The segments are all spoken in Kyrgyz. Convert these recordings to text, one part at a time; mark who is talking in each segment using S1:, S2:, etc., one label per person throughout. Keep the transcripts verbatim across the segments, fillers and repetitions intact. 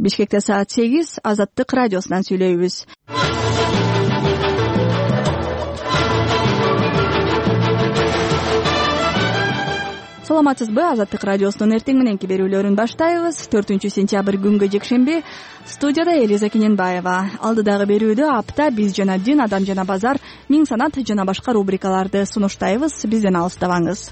S1: Бишкекте саат сегиз, Азаттык радиосунан сүйлөйбүз. Саламатсызбы? Азаттык радиосунун эртең мененки берүүлөрүн баштайбыз. төртүнчү сентябрь күнгө жекшемби. Студияда Элиза Кененбаева. Алдыдагы берүүдө апта биз жана дин, адам жана базар, миң санат жана башка рубрикаларды сунуштайбыз. Бизден алыстабаңыз.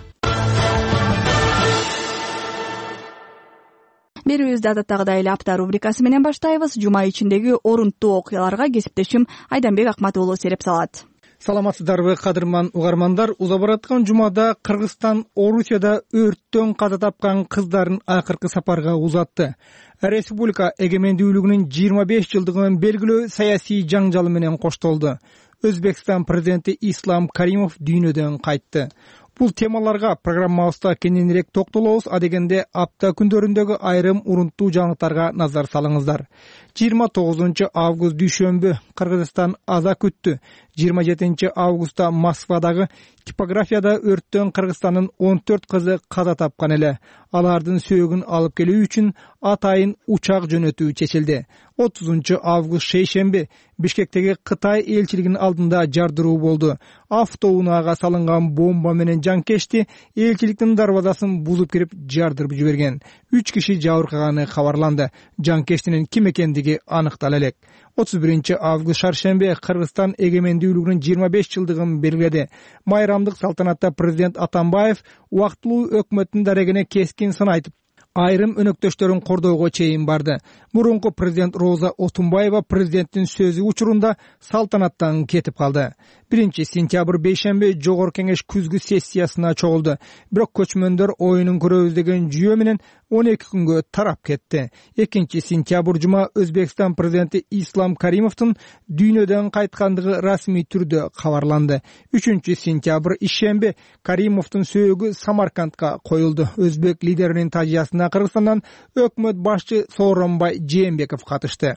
S1: Берүүбүздү адаттагыдай эле апта рубрикасы менен баштайбыз. Жума ичиндеги орунттуу окуяларга кесиптешим Айданбек Акмат уулу сереп салат.
S2: Саламатсыздарбы, кадырман угармандар. Уза бараткан жумада Кыргызстан Орусияда өрттөн каза тапкан кыздарын акыркы сапарга узатты. Республика эгемендүүлүгүнүн жыйырма беш жылдыгын белгилөө саясий жаңжалы менен коштолду. Өзбекстан президенти Ислам Каримов дүйнөдөн кайтты. Бул темаларга программабызда кененирээк токтолобуз. Адегенде апта күндөрүндөгү айрым урунттуу жаңылыктарга назар салыңыздар. жыйырма тогузунчу август дүйшөмбү Кыргызстан аза күттү. жыйырма жетинчи августта Москвадагы типографияда өрттөн Кыргызстандын он төрт кызы каза тапкан эле. Алардын сөөгүн алып келүү үчүн атайын учак жөнөтүү чечилди. отузунчу август шейшемби Бишкектеги Кытай элчилигинин алдында жардыруу болду. Автоунаага салынган бомба менен жанкечти элчиликтин дарбазасын бузуп кирип жардырып жиберген. Үч киши жабыркаганы кабарланды. Жанкечтинин ким экендиги аныктала элек. отуз биринчи август шаршемби Кыргызстан эгемендүүлүгүнүн жыйырма беш жылдыгын белгиледи. Майрамдык салтанатта президент Атамбаев убактылуу өкмөттүн дарегине кескин сын айтып, айрым өнөктөштөрүн кордоого чейин барды. Мурунку президент Роза Отунбаева президенттин сөзү учурунда салтанаттан кетип калды. биринчи сентябрь бейшемби Жогорку кеңеш күзгү сессиясына чогулду. Бирок көчмөндөр оюнун көрөбүз деген жүйө менен он эки күнгө тарап кетти. экинчи сентябрь жума Өзбекстан президенти Ислам Каримовдун дүйнөдөн кайткандыгы расмий түрдө кабарланды. үчүнчү сентябрь ишемби Каримовдун сөөгү Самаркандка коюлду. Өзбек лидеринин тажыясына Кыргызстандан өкмөт башчы Сооронбай Жээнбеков катышты.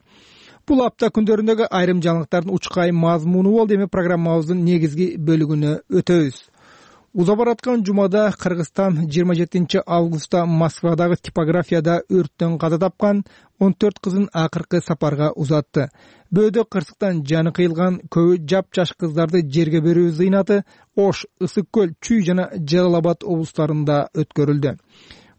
S2: Бул апта күндөрүндөгү айрым жаңылыктардын учкай мазмуну болду. Эми программабыздын негизги бөлүгүнө өтөбүз. Уза бараткан жумада Кыргызстан жыйырма жетинчи августта Москвадагы типографияда өрттөн каза тапкан он төрт кызын акыркы сапарга узатты. Бөөдө кырсыктан жаны кыйылган көбү жапжаш кыздарды жерге берүү зыйнаты Ош, Ысык көл, Чүй жана Жалал Абад облустарында өткөрүлдү.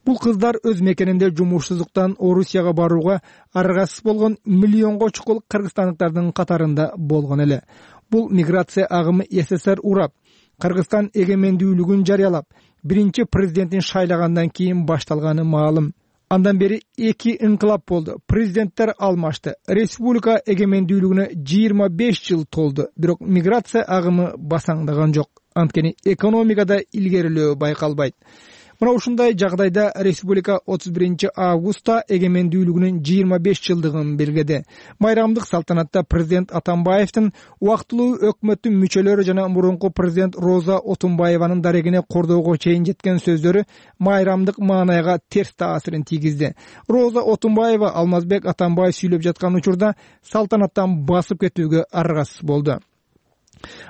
S2: Бул кыздар өз мекенинде жумушсуздуктан Орусияга барууга аргасыз болгон миллионго чукул кыргызстандыктардын катарында болгон эле. Бул миграция агымы СССР урап, Кыргызстан эгемендүүлүгүн жарыялап, биринчи президентин шайлагандан кийин башталганы маалым. Андан бери эки инкылап болду. Президенттер алмашты. Республика эгемендүүлүгүнө жыйырма беш жыл толду. Бирок миграция агымы басаңдаган жок. Анткени экономикада илгерилөө байкалбайт. Мына ушундай жагдайда республика отуз биринчи августта эгемендүүлүгүнүн жыйырма беш жылдыгын белгиледи. Майрамдык салтанатта президент Атамбаевдин убактылуу өкмөттүн мүчөлөрү жана мурунку президент Роза Отунбаеванын дарегине кордоого чейин жеткен сөздөрү майрамдык маанайга терс таасирин тийгизди. Роза Отунбаева Алмазбек Атамбаев сүйлөп жаткан учурда салтанаттан басып кетүүгө аргасыз болду.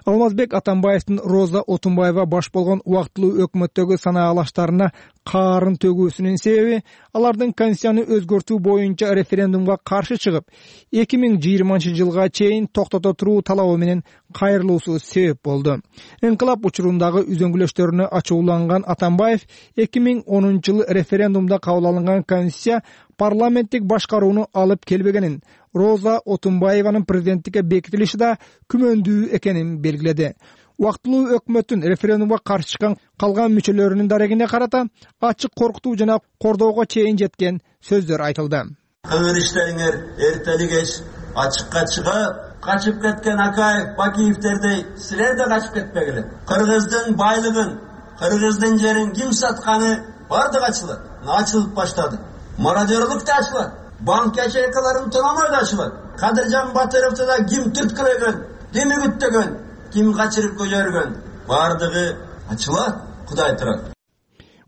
S2: Алмазбек Атамбаевдин Роза Отунбаева баш болгон убактылуу өкмөттөгү санаалаштарына каарын төгүүсүнүн себеби алардын конституцияны өзгөртүү боюнча референдумга каршы чыгып, эки миң жыйырманчы жылга чейин токтото туруу талабы менен кайрылуусу себеп болду. Инкылап учурундагы үзөңгүлөштөрүнө ачууланган Атамбаев эки миң онунчу жылы референдумда кабыл алынган конституция парламенттик башкарууну алып келбегенин, Роза Отунбаеванын президенттикке бекитилиши да күмөндүү экенин белгиледи. Убактылуу өкмөттүн референдумга каршы чыккан калган мүчөлөрүнүн дарегине карата ачык коркутуу жана кордоого чейин жеткен сөздөр айтылды.
S3: Кылган иштериңер эртели кеч ачыкка чыгып, качып кеткен Акаев, Бакиевтердей силер да качып кетпегиле. Кыргыздын байлыгын, кыргыздын жерин ким сатканы бардыгы ачылат. Ачылып баштады. Мародерлук да ачылат. Банк ячейкаларын тономой да ачылат. Кадыржан Батыровду да ким түрткүлөгөн, ким үгүттөгөн, ким качырып көжөргөн, бардыгы ачылат. Кудай турат.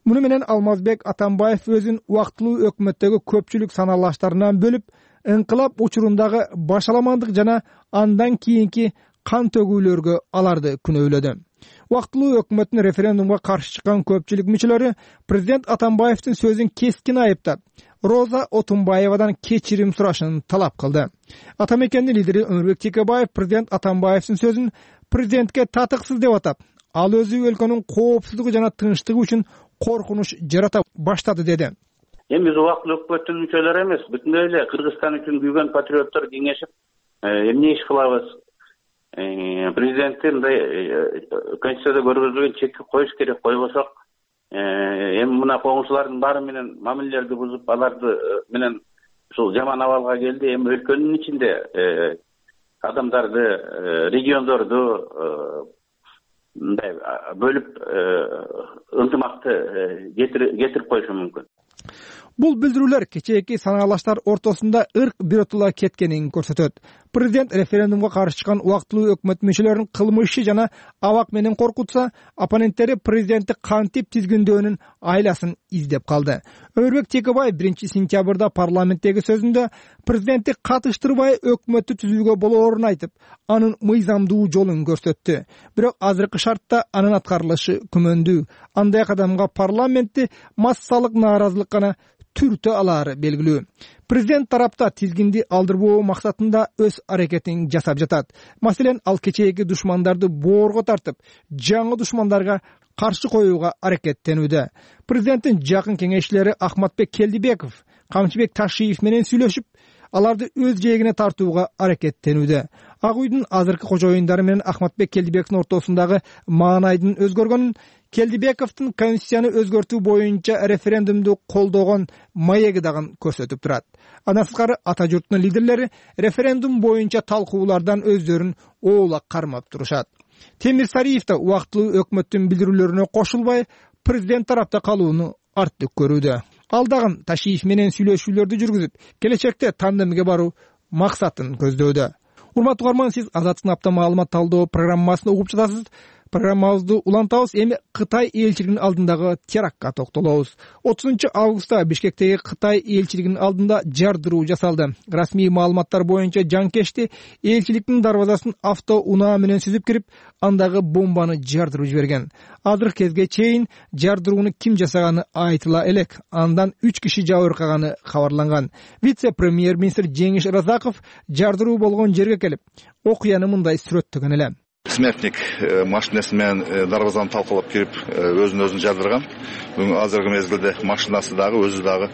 S2: Муну менен Алмазбек Атамбаев өзүн убактылуу өкмөттөгү көпчүлүк санаалаштарынан бөлүп, инкылап учурундагы башаламандык жана андан кийинки кан төгүүлөргө аларды күнөөлөдү. Убактылуу өкмөттүн референдумга каршы чыккан көпчүлүк мүчөлөрү президент Атамбаевдин сөзүн кескин айыптап, Роза Отунбаевадан кечирим сурашын талап кылды. Ата мекендин лидери Өмүрбек Текебаев президент Атамбаевдин сөзүн президентке татыксыз деп атап, ал өзү өлкөнүн коопсуздугу жана тынчтыгы үчүн коркунуч жарата баштады деди.
S4: Эми биз убактылуу өкмөттүн мүчөлөрү эмес, бүтүндөй эле Кыргызстан үчүн күйгөн патриоттор кеңешип, эмне иш кылабыз? Президентти мындай конституцияда көргөзүлгөн чекти коюш керек, койбосок эми мына коңшулардын баары менен мамилелерди бузуп, аларды менен ушул жаман абалга келди. Эми өлкөнүн ичинде адамдарды, региондорду мындай бөлүп ынтымакты кетирип коюшу мүмкүн.
S2: Бул билдирүүлөр кечээки санаалаштар ортосунда ырк биротула кеткенин көрсөтөт. Президент референдумга каршы чыккан убактылуу өкмөт мүчөлөрүн кылмышчы жана абак менен коркутса, оппоненттери президентти кантип тизгиндөөнүн айласын издеп калды. Өмүрбек Текебаев биринчи сентябрда парламенттеги сөзүндө президентти катыштырбай өкмөттү түзүүгө болоорун айтып, анын мыйзамдуу жолун көрсөттү. Бирок азыркы шартта анын аткарылышы күмөндүү. Андай кадамга парламентти массалык нааразылык гана түртө алаары белгилүү. Президент тарапта тизгинди алдырбоо максатында өз аракетин жасап жатат. Маселен, ал кечээки душмандарды боорго тартып, жаңы душмандарга каршы коюуга аракеттенүүдө. Президенттин жакын кеңешчилери Ахматбек Келдибеков, Камчыбек Ташиев менен сүйлөшүп, аларды өз жээгине тартууга аракеттенүүдө. Ак үйдүн азыркы кожоюндары менен Ахматбек Келдибековдун ортосундагы маанайдын өзгөргөнүн, Келдибековдун конституцияны өзгөртүү боюнча референдумду колдогон маеги дагы көрсөтүп турат. Андан сырткары ата журттун лидерлери референдум боюнча талкуулардан өздөрүн оолак кармап турушат. Темир Сариев да убактылуу өкмөттүн билдирүүлөрүнө кошулбай, президент тарапта калууну артык көрүүдө. Ал дагы Ташиев менен сүйлөшүүлөрдү жүргүзүп, келечекте тандемге баруу максатын көздөөдө. Урматтуу угарман, сиз Азаттыктын апта маалымат талдоо программасын угуп жатасыз. Программабызды улантабыз. Эми Кытай элчилигинин алдындагы терактка токтолобуз. отузунчу августта Бишкектеги Кытай элчилигинин алдында жардыруу жасалды. Расмий маалыматтар боюнча жанкечти элчиликтин дарбазасын авто унаа менен сүзүп кирип, андагы бомбаны жардырып жиберген. Азыркы кезге чейин жардырууну ким жасаганы айтыла элек. Андан үч киши жабыркаганы кабарланган. Вице-премьер-министр Жеңиш Разаков жардыруу болгон жерге келип, окуяны мындай сүрөттөгөн эле.
S5: Смертник машинасы менен дарбазаны талкалап кирип, өзүн өзүн жардырган. Бүгүн азыркы мезгилде машинасы дагы өзү дагы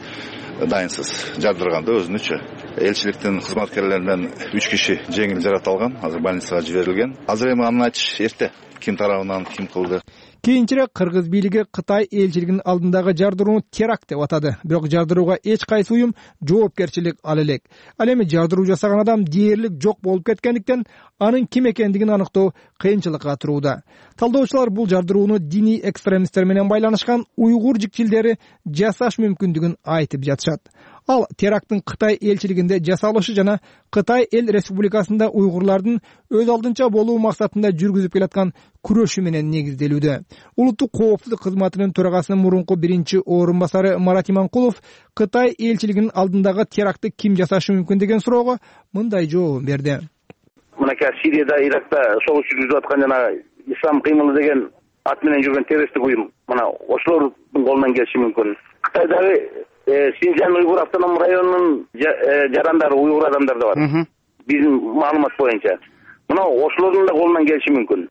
S5: дайынсыз жардырган да өзүнүчү. Элчиликтин кызматкерлеринен үч киши жеңил жаракат алган, азыр больницага жиберилген. Азыр эми аны айтыш эрте. Ким тарабынан ким кылды?
S2: Кийинчерээк Кыргыз бийлиги Кытай элчилигинин алдындагы жардырууну теракт деп атады. Бирок жардырууга эч кайсы уюм жоопкерчилик ала элек. Ал эми жардыруу жасаган адам дээрлик жок болуп кеткендиктен анын ким экендигин аныктоо кыйынчылыкка турууда. Талдоочулар бул жардырууну диний экстремисттер менен байланышкан уйгур жикчилдери жасаш мүмкүндүгүн айтып жатышат. Ал теракттын Кытай элчилигинде жасалышы жана Кытай эл республикасында уйгурлардын өз алдынча болуу максатында жүргүзүп келаткан күрөшү менен негизделүүдө. Улуттук коопсуздук кызматынын төрагасынын мурунку биринчи орун басары Марат Иманкулов Кытай элчилигинин алдындагы терактты ким жасашы мүмкүн деген суроого мындай жообун берди.
S6: Мынакей Сирияда, Иракта согуш жүргүзүп аткан жана Ислам кыймылы деген ат менен жүргөн террористтик уюм, мына ошолордун колунан келиши мүмкүн. Кытайдагы Синжан уйгур автоном районунун жарандары уйгур адамдар да бар. Биздин маалымат боюнча. Мына ошолордун да колунан келиши мүмкүн.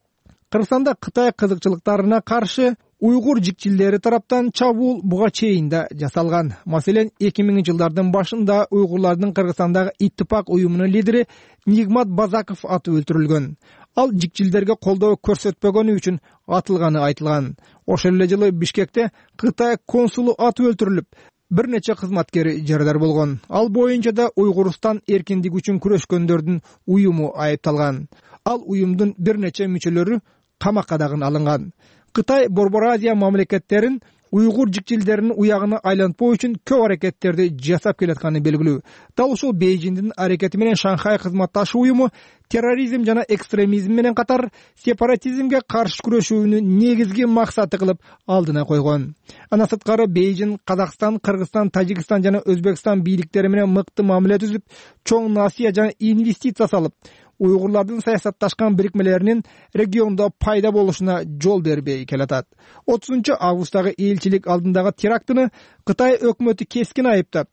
S2: Кыргызстанда Кытай кызыкчылыктарына каршы уйгур жикчилдери тараптан чабуул буга чейин да жасалган. Маселен, эки миңинчи жылдардын башында уйгурлардын Кыргызстандагы Иттифак уюмунун лидери Нигмат Базаков атып өлтүрүлгөн. Ал жикчилдерге колдоо көрсөтпөгөнү үчүн атылганы айтылган. Ошол эле жылы Бишкекте Кытай консулу атып өлтүрүлүп, бир нече кызматкери жарадар болгон. Ал боюнча да Уйгурстан эркиндиги үчүн күрөшкөндөрдүн уюму айыпталган. Ал уюмдун бир нече мүчөлөрү камакка дагы алынган. Кытай Борбор Азия мамлекеттерин уйгур жикчилдеринин уягына айлантпоо үчүн көп аракеттерди жасап келатканы белгилүү. Дал ушул Бейжиңдин аракети менен Шанхай кызматташы уюму терроризм жана экстремизм менен катар сепаратизмге каршы күрөшүүнү негизги максаты кылып алдына койгон. Андан сырткары Бейжиң Казакстан, Кыргызстан, Тажикстан жана Өзбекстан бийликтери менен мыкты мамиле түзүп, чоң насыя жана инвестиция салып, уйгурлардын саясатташкан бирикмелеринин региондо пайда болушуна жол бербей келатат. отузунчу августтагы элчилик алдындагы терактыны Кытай өкмөтү кескин айыптап,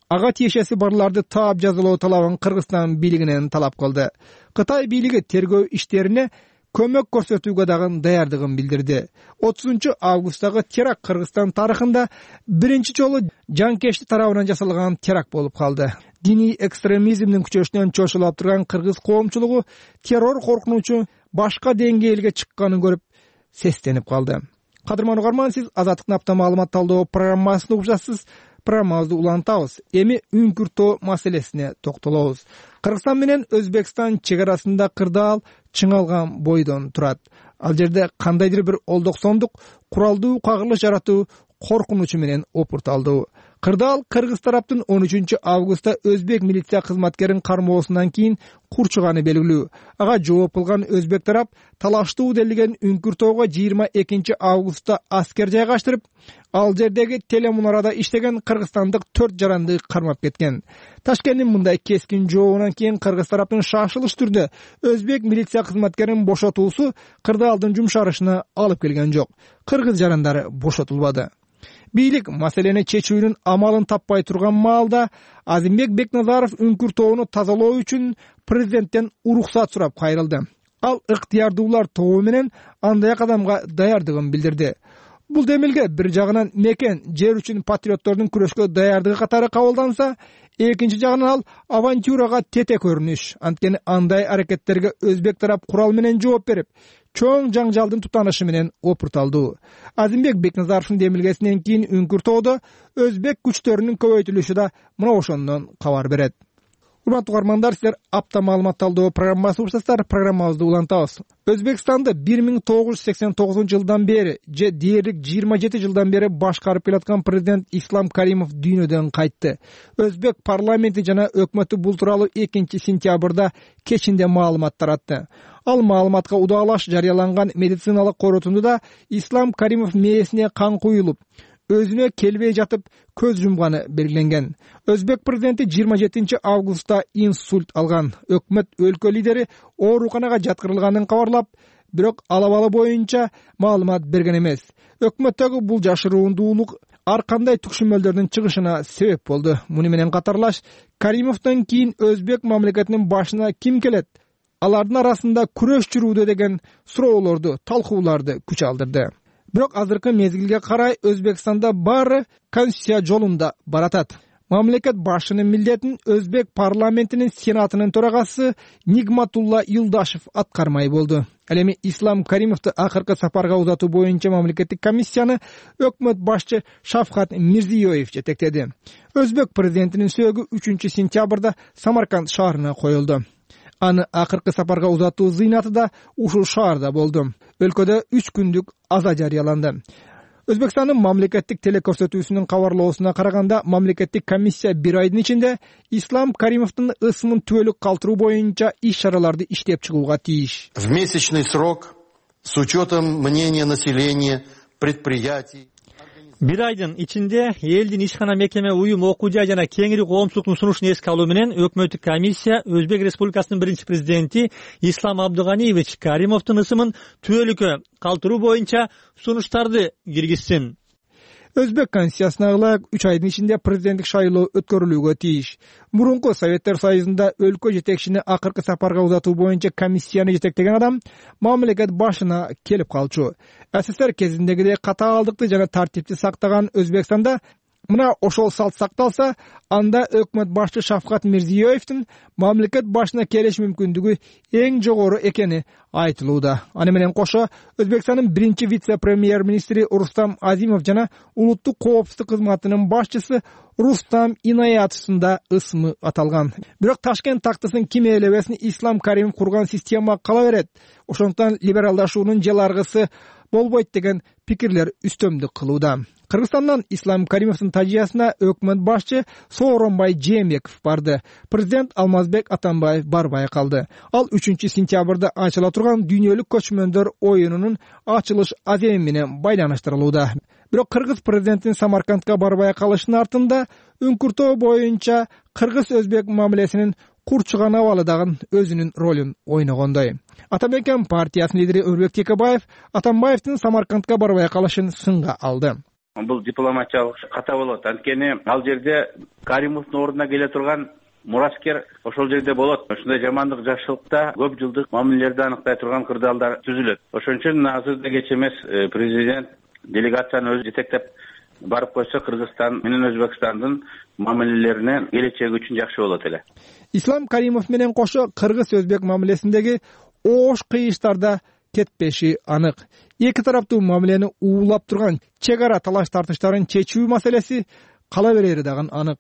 S2: ага тиешеси барларды таап жазалоо талабын Кыргызстан бийлигинен талап кылды. Кытай бийлиги тергөө иштерине көмөк көрсөтүүгө дагы даярдыгын билдирди. отузунчу августтагы теракт Кыргызстан тарыхында биринчи жолу жанкечти тарабынан жасалган теракт болуп калды. Диний экстремизмдин күчөшүнөн чочулап турган кыргыз коомчулугу террор коркунучу башка деңгээлге чыкканын көрүп сестенип калды. Кадырман угарман, сиз Азаттыктын апта маалымат талдоо программасын угуп жатасыз. Программабызды улантабыз. Эми үңкүртөө маселесине токтолобуз. Кыргызстан менен Өзбекстан чек арасында кырдаал чыңалган бойдон турат. Ал жерде кандайдыр бир олдоксондук куралдуу кагылыш жаратуу коркунучу менен опурталды. Кырдаал кыргыз тараптын он үчүнчү августта өзбек милиция кызматкерин кармоосунан кийин курчуганы белгилүү. Ага жооп кылган өзбек тарап талаштуу делиген үңкүртөөгө жыйырма экинчи августта аскер жайгаштырып, ал жердеги телемунарада иштеген кыргызстандык төрт жаранды кармап кеткен. Ташкенттин мындай кескин жообунан кийин кыргыз тараптын шашылыш түрдө өзбек милиция кызматкерин бошотуусу кырдаалдын жумшарышына алып келген жок. Кыргыз жарандары бошотулбады. Бийлик маселени чечүүнүн амалын таппай турган маалда Азимбек Бекназаров үңкүртөөну тазалоо үчүн президенттен уруксат сурап кайрылды. Ал ыктыярдуулар тобу менен андай кадамга даярдыгын билдирди. Бул демилге бир жагынан мекен жер үчүн патриоттордун күрөшкө даярдыгы катары кабылданса, экинчи жагынан ал авантюрага тете көрүнүш. Анткени андай аракеттерге өзбек тарап курал менен жооп берип, чоң жаңжалдын тутанышы менен опурталды. Азимбек Бекназаровдун демилгесинен кийин үңкүртөөдө өзбек күчтөрүнүн көбөйтүлүшү да мына ошондон кабар берет. Урматтуу угармандар, силер апта маалымат талдоо программасы урсаздар. Программабызды улантабыз. Өзбекстанды бир миң тогуз жүз сексен тогузунчу жылдан бери же дээрлик жыйырма жети жылдан бери башкарып келаткан президент Ислам Каримов дүйнөдөн кайтты. Өзбек парламенти жана өкмөтү бул тууралуу экинчи сентябрда кечинде маалымат таратты. Ал маалыматка удаалаш жарыяланган медициналык корутундуда Ислам Каримов мээсине кан куюлуп, өзүнө келбей жатып көз жумганы белгиленген. Өзбек президенти жыйырма жетинчи августта инсульт алган. Өкмөт өлкө лидери ооруканага жаткырылганын кабарлап, бирок ал абалы боюнча маалымат берген эмес. Өкмөттөгү бул жашыруундуулук ар кандай түкшүмөлдөрдүн чыгышына себеп болду. Муну менен катарлаш, Каримовдон кийин өзбек мамлекетинин башына ким келет? Алардын арасында күрөш жүрүүдө деген суроолорду, талкууларды күч алдырды. Бирок азыркы мезгилге карай Өзбекстанда баары конституция жолунда баратат. Мамлекет башчынын милдетин өзбек парламентинин сенатынын төрагасы Нигматулла Юлдашев аткармай болду. Ал эми Ислам Каримовду акыркы сапарга узатуу боюнча мамлекеттик комиссияны өкмөт башчы Шавкат Мирзиёев жетектеди. Өзбек президентинин сөөгү үчүнчү сентябрда Самарканд шаарына коюлду. Аны акыркы сапарга узатуу зыйнаты да ушул шаарда болду. Өлкөдө үч күндүк аза жарыяланды. Өзбекстандын мамлекеттик телекөрсөтүүсүнүн кабарлоосуна караганда, мамлекеттик комиссия бир айдын ичинде Ислам Каримовдун ысымын түбөлүк калтыруу боюнча иш-чараларды иштеп чыгууга тийиш.
S7: В месячный срок с учетом мнения населения, предприятий.
S8: Бир айдын ичинде элдин ишкана, мекеме, уюм, окуу жай жана кеңири коомчулуктун сунушун эске алуу менен өкмөттүк комиссия Өзбек Республикасынын биринчи президенти Ислам Абдыганиевич Каримовдун ысымын түбөлүккө калтыруу боюнча сунуштарды киргизсин.
S2: Өзбек конституциясына ылайык үч айдын ичинде президенттик шайлоо өткөрүлүүгө тийиш. Мурунку Советтер Союзунда өлкө жетекчини акыркы сапарга узатуу боюнча комиссияны жетектеген адам мамлекет башына келип калчу. СССР кезиндегидей катаалдыкты жана тартипти сактаган Өзбекстанда мына ошол салт сакталса, анда өкмөт башчы Шавкат Мирзиёевдин мамлекет башына келиш мүмкүндүгү эң жогору экени айтылууда. Аны менен кошо Өзбекстандын биринчи вице-премьер-министри Рустам Азимов жана улуттук коопсуздук кызматынын башчысы Рустам Инаятовдун да ысымы аталган. Бирок Ташкент тактысын ким ээлебесин Ислам Каримов курган система кала берет. Ошондуктан либералдашуунун жел аргысы болбойт деген пикирлер үстөмдүк кылууда. Кыргызстандан Ислам Каримовдун тажыясына өкмөт башчы Сооронбай Жээнбеков барды. Президент Алмазбек Атамбаев барбай калды. Ал үчүнчү сентябрда ачыла турган дүйнөлүк көчмөндөр оюнунун ачылыш аземи менен байланыштырылууда. Бирок кыргыз президентинин Самаркандка барбай калышынын артында үңкүртөө боюнча кыргыз өзбек мамилесинин курчуган абалы дагы өзүнүн ролун ойногондой. Ата Мекен партиясынын лидери Өрбек Текебаев Атамбаевдин Самаркандка барбай калышын сынга алды.
S4: Бул дипломатиялык ката болот. Анткени ал жерде Каримовдун ордуна келе турган мураскер ошол жерде болот. Ошондой жамандык жакшылыкта көп жылдык мамилелерди аныктай турган кырдаалдар түзүлөт. Ошон үчүн азырда кеч эмес президент делегацияны өзү жетектеп барып койсо Кыргызстан менен Өзбекстандын мамилелеринин келечеги үчүн жакшы болот эле.
S2: Ислам Каримов менен кошо кыргыз өзбек мамилесиндеги оош кыйыштарда кетпеши анык. Эки тараптуу мамилени уулап турган чек ара талаш тартыштарын чечүү маселеси кала берери дагы анык.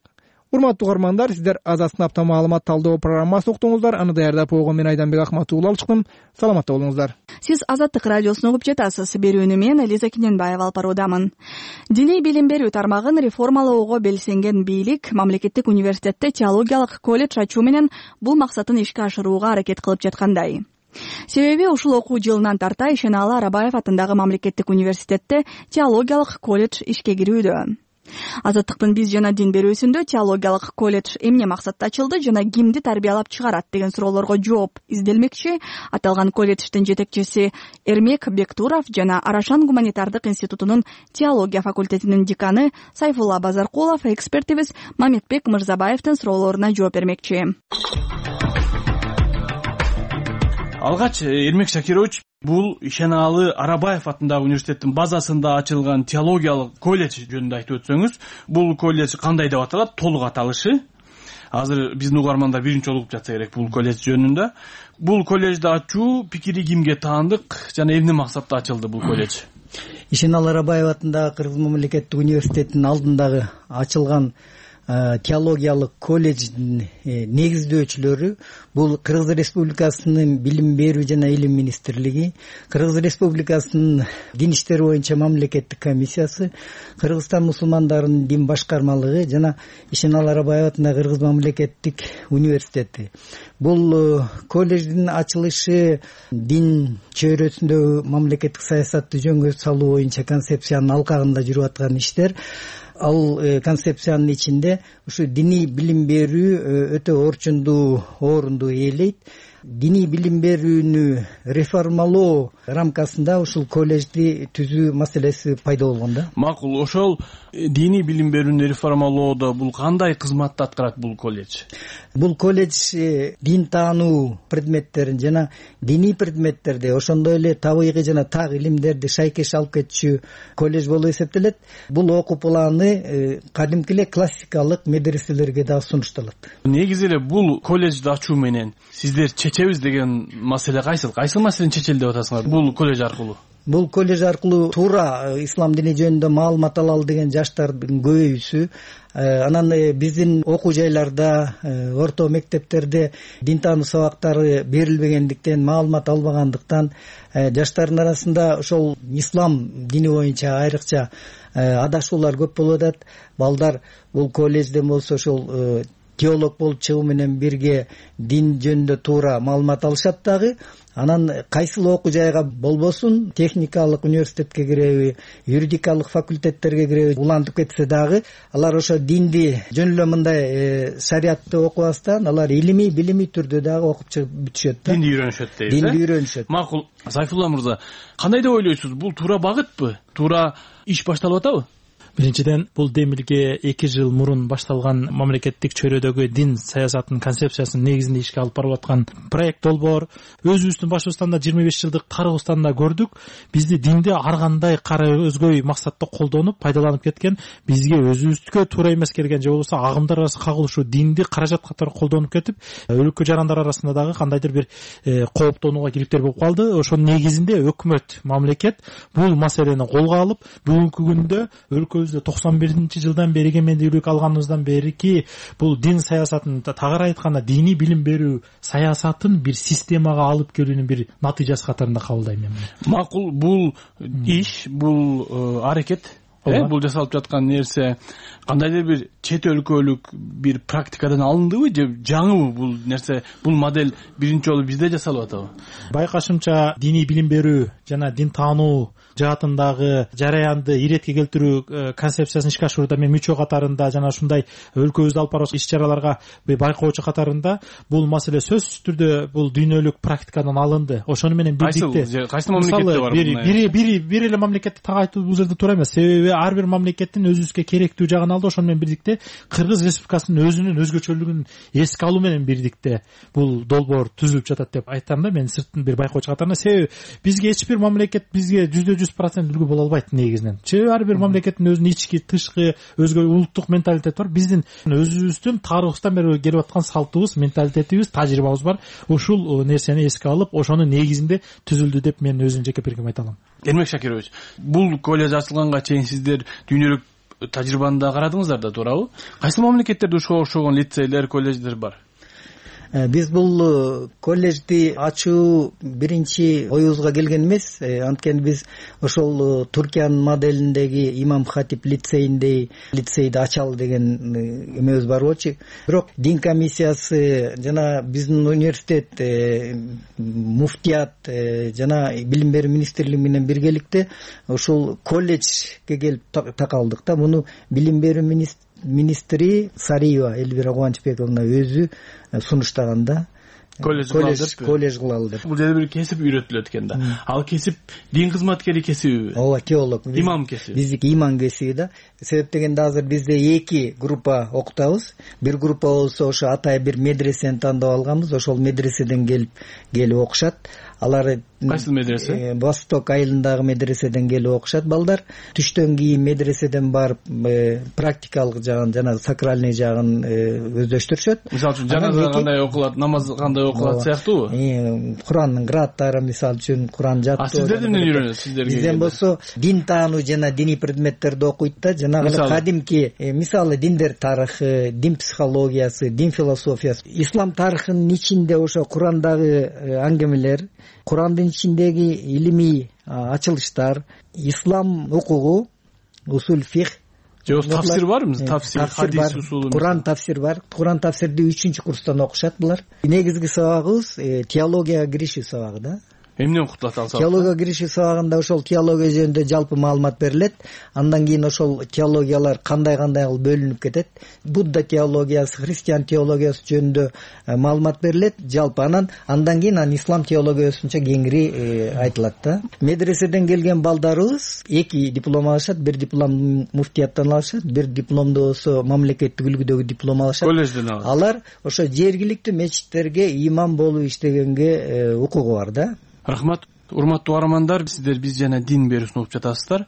S2: Урматтуу угармандар, сиздер Азаттын апта маалымат талдоо программасын уктуңуздар. Аны даярдап койгон мен Айданбек Акматуулла алып чыктым. Саламатта болуңуздар.
S1: Сиз Азаттык радиосун угуп жатасыз. Берүүнү мен Элиза Кененбаева алып баруудамын. Диний билим берүү тармагын реформалоого белсенген бийлик мамлекеттик университетте теологиялык колледж ачуу менен бул максатын ишке ашырууга аракет кылып жаткандай. Себеби ушул окуу жылынан тарта Ишеналы Арабаев атындагы мамлекеттик университетте теологиялык колледж ишке кирүүдө. Азаттыктын биз жана дин берүүсүндө теологиялык колледж эмне максатта ачылды жана кимди тарбиялап чыгарат деген суроолорго жооп изделмекчи. Аталган колледждин жетекчиси Эрмек Бектуров жана Арашан гуманитардык институтунун теология факультетинин деканы Сайфулла Базаркулов экспертибиз Мамедбек Мырзабаевдин суроолоруна жооп бермекчи.
S9: Алгач, Эрмек Шакирович, бул Ишеналы Арабаев атындагы университеттин базасында ачылган теологиялык колледж жөнүндө айтып өтсөңүз, бул колледж кандай деп аталат? Толук аталышы. Азыр биздин угармандар биринчи жолу угуп жатса керек бул колледж жөнүндө. Бул колледжди ачуу пикири кимге таандык жана эмне максатта ачылды бул колледж?
S10: Ишеналы Арабаев атындагы Кыргыз мамлекеттик университетинин алдындагы ачылган теологиялык колледждин негиздөөчүлөрү бул Кыргыз Республикасынын билим берүү жана илим министрлиги, Кыргыз Республикасынын дин иштери боюнча мамлекеттик комиссиясы, Кыргызстан мусулмандарынын дин башкармалыгы жана Ишеналы Арабаев атындагы Кыргыз мамлекеттик университети. Бул колледждин ачылышы дин чөйрөсүндөгү мамлекеттик саясатты жөнгө салуу боюнча концепциянын алкагында жүрүп аткан иштер. Ал концепциянын ичинде ушу диний билим берүү өтө орчундуу орунду ээлейт. Диний билим берүүнү реформалоо рамкасында ушул колледжди түзүү маселеси пайда болгон да.
S9: Макул, ошол диний билим берүүнү реформалоодо бул кандай кызматты аткарат бул колледж?
S10: Бул колледж дин таануу предметтерин жана диний предметтерди, ошондой эле табигый жана так илимдерди шайкеш алып кетчү колледж болуп эсептелет. Бул окуу планы кадимки эле классикалык медреселерге да сунушталат.
S9: Негизи эле бул колледжди ачуу менен сиздер чечебиз деген маселе кайсыл? Кайсыл маселени чечели деп атасыңар бул колледж аркылуу?
S10: Бул колледж аркылуу туура ислам дини жөнүндө маалымат алалы деген жаштардын көбөйүүсү, анан биздин окуу жайларда, орто мектептерде дин таануу сабактары берилбегендиктен, маалымат албагандыктан жаштардын арасында ошол ислам дини боюнча айрыкча адашуулар көп болуп атат. Балдар бул колледжден болсо ошол теолог болуп чыгуу менен бирге дин жөнүндө туура маалымат алышат дагы. Анан кайсыл окуу жайга болбосун, техникалык университетке киреби, юридикалык факультеттерге киреби улантып кетсе дагы, алар ошо динди жөн эле мындай шариатты окубастан, алар илимий, билимий түрдө дагы окуп чыгып бүтүшөт да.
S9: Динди үйрөнүшөт дейбиз.
S10: Динди үйрөнүшөт.
S9: Макул, Сайфулла мырза, кандай деп ойлойсуз? Бул туура багытпы? Туура иш башталып атабы?
S8: Биринчиден, бул демилге эки жыл мурун башталган мамлекеттик чөйрөдөгү дин саясатынын концепциясынын негизинде ишке алып барылып аткан проект долбоор. Өзүбүздүн Башкортостанда жыйырма беш жылдык Кыргызстанда көрдүк. Бизди динди ар кандай кара өзгөй максатта колдонуп, пайдаланып кеткен, бизге өзүбүздүкө туура эмес келген же болбосо агымдар арасы кагылышуу динди каражат катары колдонуп кетип, өлкө жарандар арасында дагы кандайдыр бир кооптонууга кириптер болуп калды. Ошонун негизинде өкмөт, мамлекет бул маселени колго алып, бүгүнкү күндө өлкө токсон биринчи жылдан бери эгемендүүлүк алганыбыздан берики бул дин саясатын, тагыраак айтканда диний билим берүү саясатын бир системага алып келүүнүн бир натыйжасы катарында кабылдайм мен.
S9: Макул, бул иш, бул аракет э бул жасалып жаткан нерсе кандайдыр бир чет өлкөлүк бир практикадан алындыбы же жаңыбы бул нерсе, бул модель биринчи жолу бизде жасалып атабы?
S11: Байкашымча диний билим берүү жана дин таануу жаатындагы жараянды иретке келтирүү концепциясын ишке ашуурда мен мүчө катарында жана ушундай өлкөбүздө алып барып иш чараларга байкоочу катарында бул маселе сөзсүз түрдө бул дүйнөлүк практикадан алынды. Ошону менен бирдикте
S9: кайсы мамлекетте бар?
S11: Бири бири бир эле мамлекетти так айтуу бул жерде туура эмес. Себеби ар бир мамлекеттин өзүбүзгө керектүү жагын алды. Ошону менен бирдикте Кыргыз Республикасынын өзүнүн өзгөчөлүгүн эске алуу менен бирдикте бул долбоор түзүлүп жатат деп айтам да мен сырттын бир байкоочу катарында. Себеби бизге эч бир мамлекет бизге жүздө жүз процент үлгү боло албайт негизинен. Себеби ар бир мамлекеттин өзүнүн ички, тышкы, өзгө улуттук менталитети бар. Биздин өзүбүздүн тарыхыбыздан бери келип аткан салтыбыз, менталитетибиз, тажрыйбабыз бар. Ушул нерсени эске алып, ошонун негизинде түзүлдү деп мен өзүмдүн жеке пикиримди айта алам.
S9: Эрмек Шакирович, бул колледж ачылганга чейин сиздер дүйнөлүк тажрыйбаны да карадыңыздар да, туурабы? Кайсы мамлекеттерде ушуга окшогон лицейлер, колледждер бар?
S10: Биз бул колледжди ачуу биринчи оюбузга келген эмес. Анткени биз ошол Туркиянын моделиндеги Имам Хатип лицейиндей лицейди ачалы деген эмебиз бар болчу. Бирок дин комиссиясы жана биздин университет, муфтият жана билим берүү министрлиги менен биргеликте ошол колледжге келип такалдык да. Муну билим берүү министрлиги министри Сариева Элвира Кубанычбековна өзү сунуштаганда колледж колледж кылалы деп.
S9: Бул жерде бир кесип үйрөтүлөт экен да. Ал кесип дин кызматкери кесиби?
S10: Ооба, теолог.
S9: Имам кесиби.
S10: Биздики имам кесиби да. Себеп дегенде азыр бизде эки группа окутабыз. Бир группа болсо ошо атайын бир медресени тандап алганбыз. Ошол медреседен келип келип окушат. Алар
S9: кайсы медресе?
S10: Восток айылындагы медреседен келип окушат балдар. Түштөн кийин медреседен барып практикалык жагын жана сакральный жагын өздөштүрүшөт.
S9: Мисалы үчүн жаназа кандай окулат, намаз кандай окулат сыяктуубу?
S10: Курандын кырааттары, мисалы үчүн Куран жаттоо.
S9: А сиздер эмнени үйрөнөт? Сиздерге
S10: бизден болсо дин таануу жана диний предметтерди окуйт да. Жанагы кадимки мисалы диндер тарыхы, дин психологиясы, дин философиясы, ислам тарыхынын ичинде ошо Курандагы аңгемелер, Курандын ичиндеги илимий ачылыштар, ислам укугу, усул фих,
S9: же тафсир барбы? Тафсир, хадис усулу.
S10: Куран тафсир бар. Куран тафсирди үчүнчү курстан окушат булар. Негизги сабагыбыз теологияга киришүү сабагы да.
S9: Эмнен окутулат ал сабак?
S10: Теология киришүү сабагында ошол теология жөнүндө жалпы маалымат берилет. Андан кийин ошол теологиялар кандай-кандай кылып бөлүнүп кетет. Будда теологиясы, христиан теологиясы жөнүндө маалымат берилет жалпы. Анан андан кийин анан ислам теологиясынча кеңири айтылат да. Медреседен келген балдарыбыз эки диплом алышат. Бир диплом муфтияттан алышат, бир дипломду болсо мамлекеттик үлгүдөгү диплом алышат.
S9: Колледжден алышат.
S10: Алар ошо жергиликтүү мечиттерге имам болуп иштегенге укугу бар да.
S9: Рахмат. Урматтуу угармандар, сиздер биз жана дин берүүсүн угуп жатасыздар.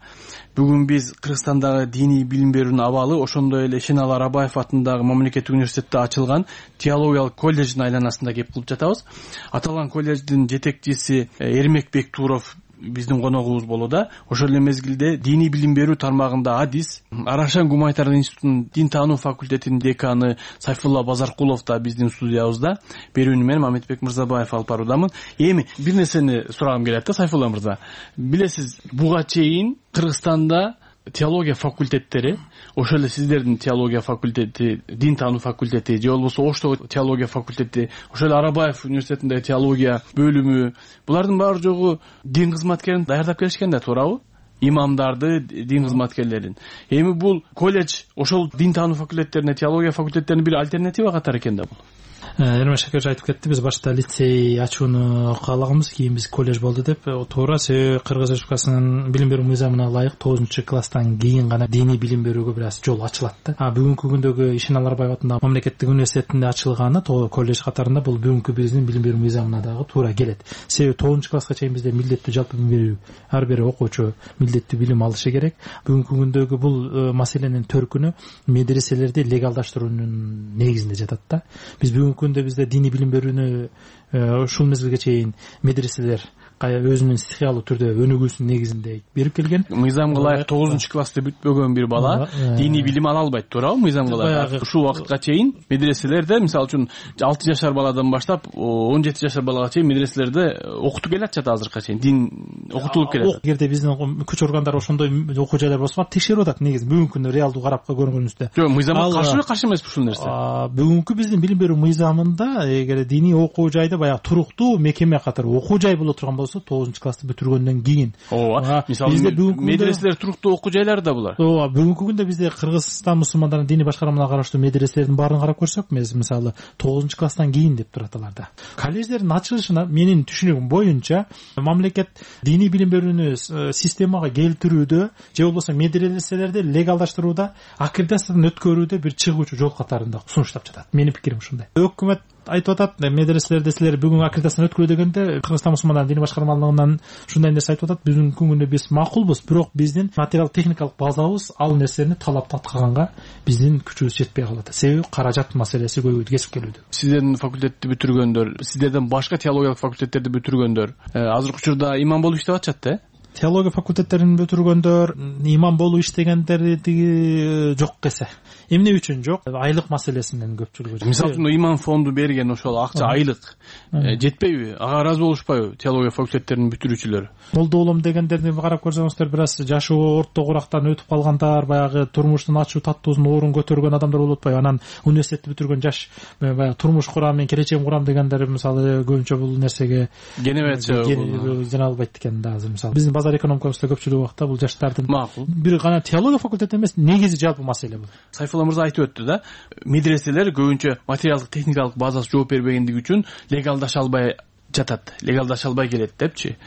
S9: Бүгүн биз Кыргызстандагы диний билим берүүнүн абалы, ошондой эле Шенал Арабаев атындагы мамлекеттик университетте ачылган теологиялык колледждин айланасында кеп кылып жатабыз. Аталган колледждин жетекчиси Эрмек Бектуров биздин коногубуз болууда. Ошол эле мезгилде диний билим берүү тармагында адис, Арашан гуманитардык институтунун дин таануу факультетинин деканы Сайфулла Базаркулов да биздин студиябызда. Берүүнү мен Мамедбек Мырзабаев алып баруудамын. Эми бир нерсени сурагым келет да, Сайфулла мырза. Билесиз, буга чейин Кыргызстанда теология факультеттери, ошол эле сиздердин теология факультети, дин таануу факультети, же болбосо Оштогу теология факультети, ошол эле Арабаев университетиндеги теология бөлүмү, булардын баары жогу дин кызматкерин даярдап келишкен да, туурабы? Имамдарды, дин кызматкерлерин. Эми бул колледж ошол дин таануу факультеттерине, теология факультеттерине бир альтернатива катары экен да бул.
S11: Эрмек Шакирович айтып кетти, биз башта лицей ачууну каалаганбыз, кийин биз колледж болду деп. Туура, себеби Кыргыз Республикасынын билим берүү мыйзамына ылайык тогузунчу класстан кийин гана диний билим берүүгө бир аз жол ачылат да. А бүгүнкү күндөгү Ишенал Арабаев атындагы мамлекеттик университетинде ачылганы колледж катарында бул бүгүнкү биздин билим берүү мыйзамына дагы туура келет. Себеби тогузунчу класска чейин бизде милдеттүү жалпы билим берүү, ар бир окуучу милдеттүү билим алышы керек. Бүгүнкү күндөгү бул маселенин төркүнү медреселерди легалдаштыруунун негизинде жатат да. Биз бүгүнкү күндө бизде диний билим берүүнү ушул мезгилге чейин медреселер өзүнүн стихиялуу түрдө өнүгүүсүнүн негизинде берип келген.
S9: Мыйзамга ылайык тогузунчу классты бүтпөгөн бир бала диний билим ала албайт, туурабы? Мыйзамга ылайык ушул убакытка чейин медреселерде, мисалы үчүн алты жашар баладан баштап он жети жашар балага чейин медреселерде окутуп келатышат азыркыга чейин, дин окутулуп келет.
S11: Эгерде биздин күч органдары ошондой окуу жайлар болсо текшерип атат негизи бүгүнкү күндө реалдуу карап көргөнүбүздө.
S9: Жок, мыйзамга каршыбы, каршы эмеспи ушул нерсе?
S11: Бүгүнкү биздин билим берүү мыйзамында эгер диний окуу жайды баягы туруктуу мекеме катары окуу жай боло турган болсо тогузунчу классты бүтүргөндөн кийин.
S9: Ооба, мисалы медреселер туруктуу окуу жайлары да булар.
S11: Ооба, бүгүнкү күндө бизде Кыргызстан мусулмандарынын диний башкармаларына караштуу медреселердин баарын карап көрсөк, мисалы тогузунчу класстан кийин деп турат аларда. Колледждердин ачылышына менин түшүнүгүм боюнча мамлекет диний билим берүүнү системага келтирүүдө же болбосо медреселерди легалдаштырууда, аккредитациядан өткөрүүдө бир чыгуучу жол катарында сунуштап жатат. Менин пикирим ушундай. Өкмөт айтып атат, медреселерде силер бүгүн аккредитациядан өткөрүү дегенде Кыргызстан мусулмандарынын диний башкармалыгынан ушундай нерсе айтып атат. Бүгүнкү күндө биз макулбуз, бирок биздин материалдык техникалык базабыз ал нерсени талап аткаганга биздин күчүбүз жетпей калат. Себеби каражат маселеси көбөйүп кесип келүүдө.
S9: Сиздердин факультетти бүтүргөндөр, сиздерден башка теологиялык факультеттерди бүтүргөндөр азыркы учурда имам болуп иштеп атышат да?
S11: Теология факультеттерин бүтүргөндөр имам болуп иштегендер жок эсе. Эмне үчүн жок? Айлык маселесинен көпчүлүгү.
S9: Мисалы үчүн имам фонду берген ошол акча айлык жетпейби? Ага ыраазы болушпайбы теология факультеттеринин бүтүрүүчүлөрү?
S11: Молдо болом дегендерди карап көрсөңүздөр, бир аз жашы орто курактан өтүп калгандар, баягы турмуштун ачуу таттуусун оорун көтөргөн адамдар болуп атпайбы? Анан университетти бүтүргөн жаш баягы турмуш курам, мен келечегим курам дегендер мисалы көбүнчө бул нерсеге
S9: генебетчи
S11: жана албайт экен да азыр. Мисалы биздин базар экономикабызда көпчүлүк убакта бул жаштардын бир гана теология факультети эмес, негизи жалпы маселе бул.
S9: Сайфулла мырза айтып өттү да, медреселер көбүнчө материалдык техникалык базасы жооп бербегендиги үчүн легалдаша албай жатат, легалдаша албай келет депчи.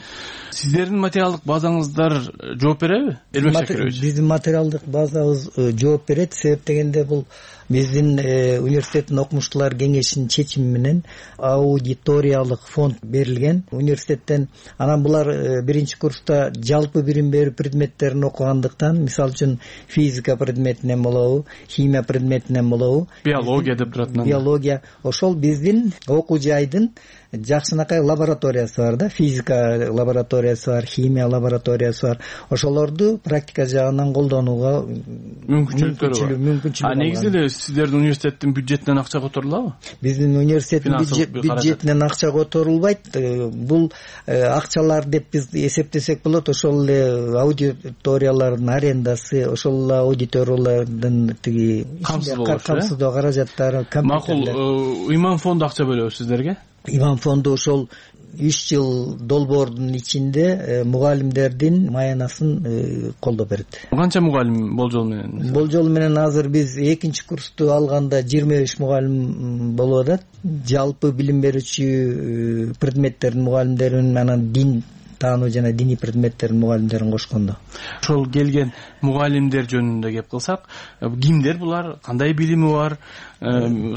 S9: Сиздердин материалдык базаңыздар жооп береби? Эрмек Шакирович.
S10: Биздин материалдык базабыз жооп берет. Себеп дегенде бул биздин университеттин окумуштуулар кеңешинин чечими менен аудиториялык фонд берилген университеттен. Анан булар биринчи курста жалпы билим берүү предметтерин окугандыктан, мисалы үчүн физика предметинен болобу, химия предметинен болобу,
S9: биология деп турат.
S10: Биология ошол биздин окуу жайдын жакшынакай лабораториясы бар да, физика лабораториясы бар, химия лабораториясы бар. Ошолорду практика жагынан колдонууга
S9: мүмкүнчүлүк бар. А негизи эле сиздердин университеттин бюджетинен акча которулабы?
S10: Биздин университеттин бюджетинен акча которулбайт. Бул акчалар деп биз эсептесек болот. Ошол эле аудиториялардын арендасы, ошол эле аудиториялардын тиги камсыздоо каражаттары, компьютерлер.
S9: Макул, имам фонду акча бөлөбү сиздерге?
S10: Имам фонду ошол үч жыл долбоордун ичинде мугалимдердин маянасын колдоп берет.
S9: Канча мугалим болжол менен?
S10: Болжол менен азыр биз экинчи курсту алганда жыйырма беш мугалим болуп атат. Жалпы билим берүүчү предметтердин мугалимдерин, анан дин таануу жана диний предметтердин мугалимдерин кошкондо.
S9: Ошол келген мугалимдер жөнүндө кеп кылсак, кимдер булар, кандай билими бар,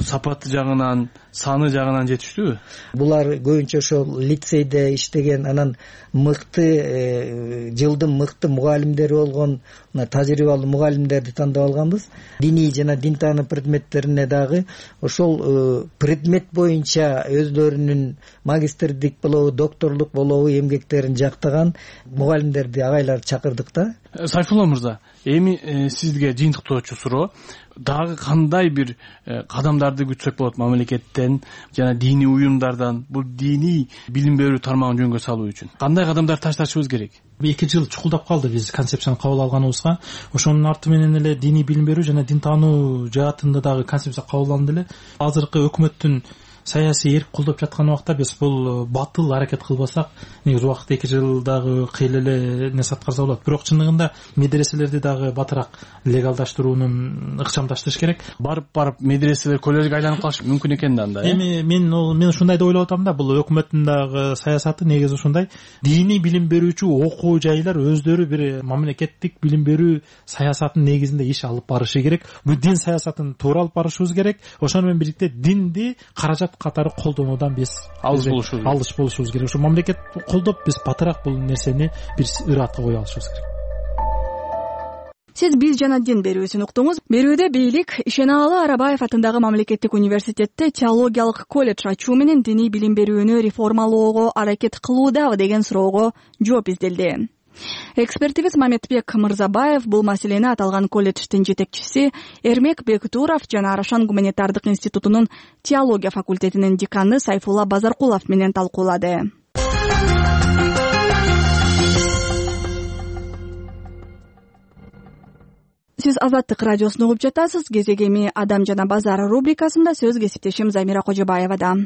S9: сапаты жагынан, саны жагынан жетиштүүбү?
S10: Булар көбүнчө ошол лицейде иштеген, анан мыкты жылдын мыкты мугалимдери болгон тажрыйбалуу мугалимдерди тандап алганбыз. Диний жана дин таануу предметтерине дагы ошол предмет боюнча өздөрүнүн магистрдик болобу, докторлук болобу эмгектерин жактаган мугалимдерди агайлар чакырдык да.
S9: Сайфулла мырза, эми сизге жыйынтыктоочу суроо, дагы кандай бир кадамдарды күтсөк болот мамлекеттен жана диний уюмдардан бул диний билим берүү тармагын жөнгө салуу үчүн? Кандай кадамдар ташташыбыз керек?
S11: эки жыл чукулдап калды биз концепцияны кабыл алганыбызга. Ошонун арты менен эле диний билим берүү жана дин таануу жаатында дагы концепция кабыл алынды эле. Азыркы өкмөттүн саясий эрк колдоп жаткан убакта биз бул батыл аракет кылбасак, негизи убакыт эки жылдагы кыйла эле нерсе аткарса болот. Бирок чындыгында медреселерди дагы батыраак легалдаштыруунун ыкчамдаштырыш керек.
S9: Барып барып медреселер коллежге айланып калышы мүмкүн экен да анда.
S11: Эми мен мен ушундай деп ойлоп атам да, бул өкмөттүн дагы саясаты негизи ушундай. Диний билим берүүчү окуу жайлар өздөрү бир мамлекеттик билим берүү саясатынын негизинде иш алып барышы керек. Бул дин саясатын туура алып барышыбыз керек. Ошону менен бирдикте динди каражат катары колдонуудан биз
S9: алыс болушубуз
S11: алыс болушубуз керек. Ошо мамлекет колдоп биз батыраак бул нерсени бир ыраатка кое алышыбыз керек.
S1: Сиз биз жана дин берүүсүн уктуңуз. Берүүдө бийлик Ишенаалы Арабаев атындагы мамлекеттик университетте теологиялык колледж ачуу менен диний билим берүүнү реформалоого аракет кылуудабы деген суроого жооп изделди. Экспертибиз Маметбек Мырзабаев бул маселени аталган колледждин жетекчиси Эрмек Бектуров жана Арашан гуманитардык институтунун теология факультетинин деканы Сайфулла Базаркулов менен талкуулады. Сиз Азаттык радиосун угуп жатасыз. Кезеги эми Адам жана базар рубрикасында сөз кесиптешим Замира Кожобаевада.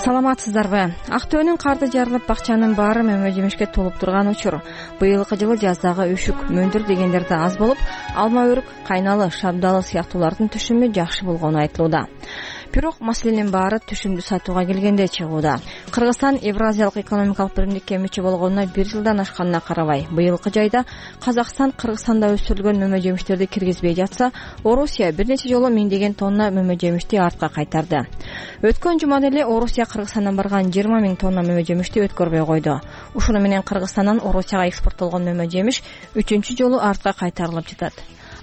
S12: Саламатсыздарбы? Актөөнүн карды жарылып, бакчанын баары мөмө жемишке толуп турган учур. Быйылкы жылы жаздагы үшүк, мөндүр дегендер да аз болуп, алма өрүк, кайналы, шабдалы сыяктуулардын түшүмү жакшы болгону айтылууда. Бирок маселенин баары түшүмдү сатууга келгенде чыгууда. Кыргызстан Евразиялык экономикалык биримдикке мүчө болгонуна бир жылдан ашканына карабай, быйылкы жайда Казакстан Кыргызстанда өсүрүлгөн мөмө жемиштерди киргизбей жатса, Орусия бир нече жолу миңдеген тонна мөмө жемишти артка кайтарды. Өткөн жумада эле Орусия Кыргызстандан барган жыйырма миң тонна мөмө жемишти өткөрбөй койду. Ушуну менен Кыргызстандан Орусияга экспорттолгон мөмө жемиш үчүнчү жолу артка кайтарылып жатат.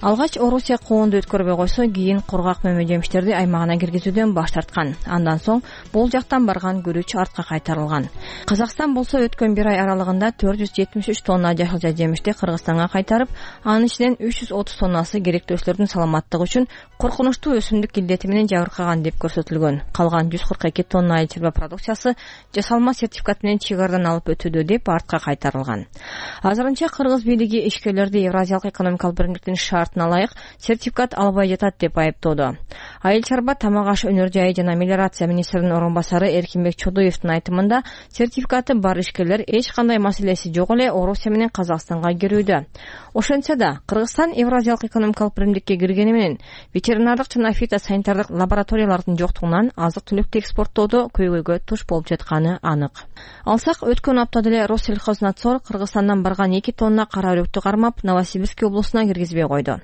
S12: Алгач Орусия коонду өткөрбөй койсо, кийин кургак мөмө жемиштерди аймагына киргизүүдөн баш тарткан. Андан соң бул жактан барган күрүч артка кайтарылган. Казакстан болсо өткөн бир ай аралыгында төрт жүз жетимиш үч тонна жашылча жемишти Кыргызстанга кайтарып, анын ичинен үч жүз отуз тоннасы керектөөчүлөрдүн саламаттыгы үчүн коркунучтуу өсүмдүк илдети менен жабыркаган деп көрсөтүлгөн. Калган жүз кырк эки тонна айыл чарба продукциясы жасалма сертификат менен чыгардан алып өтүүдө деп артка кайтарылган. Азырынча кыргыз бийлиги ишкерлерди Евразиялык экономикалык биримдиктин шартына ылайык сертификат албай жатат деп айыптоодо. Айыл чарба, тамак аш өнөр жайы жана мелиорация министринин орун басары Эркинбек Чодуевдин айтымында, сертификаты бар ишкерлер эч кандай маселеси жок эле Орусия менен Казакстанга кирүүдө. Ошентсе да Кыргызстан Евразиялык экономикалык биримдикке киргени менен ветеринардык жана фитосанитардык лабораториялардын жоктугунан азык-түлүктү экспорттоодо көйгөйгө туш болуп жатканы анык. Алсак, өткөн аптада эле Россельхознадзор Кыргызстандан барган эки тонна кара өрүктү кармап, Новосибирск облусуна киргизбей койду.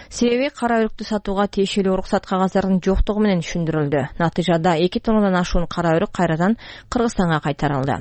S12: Себеби кара өрүктү сатууга тиешелүү уруксат кагаздардын жоктугу менен түшүндүрүлдү. Натыйжада эки тоннадан ашуун кара өрүк кайрадан Кыргызстанга кайтарылды.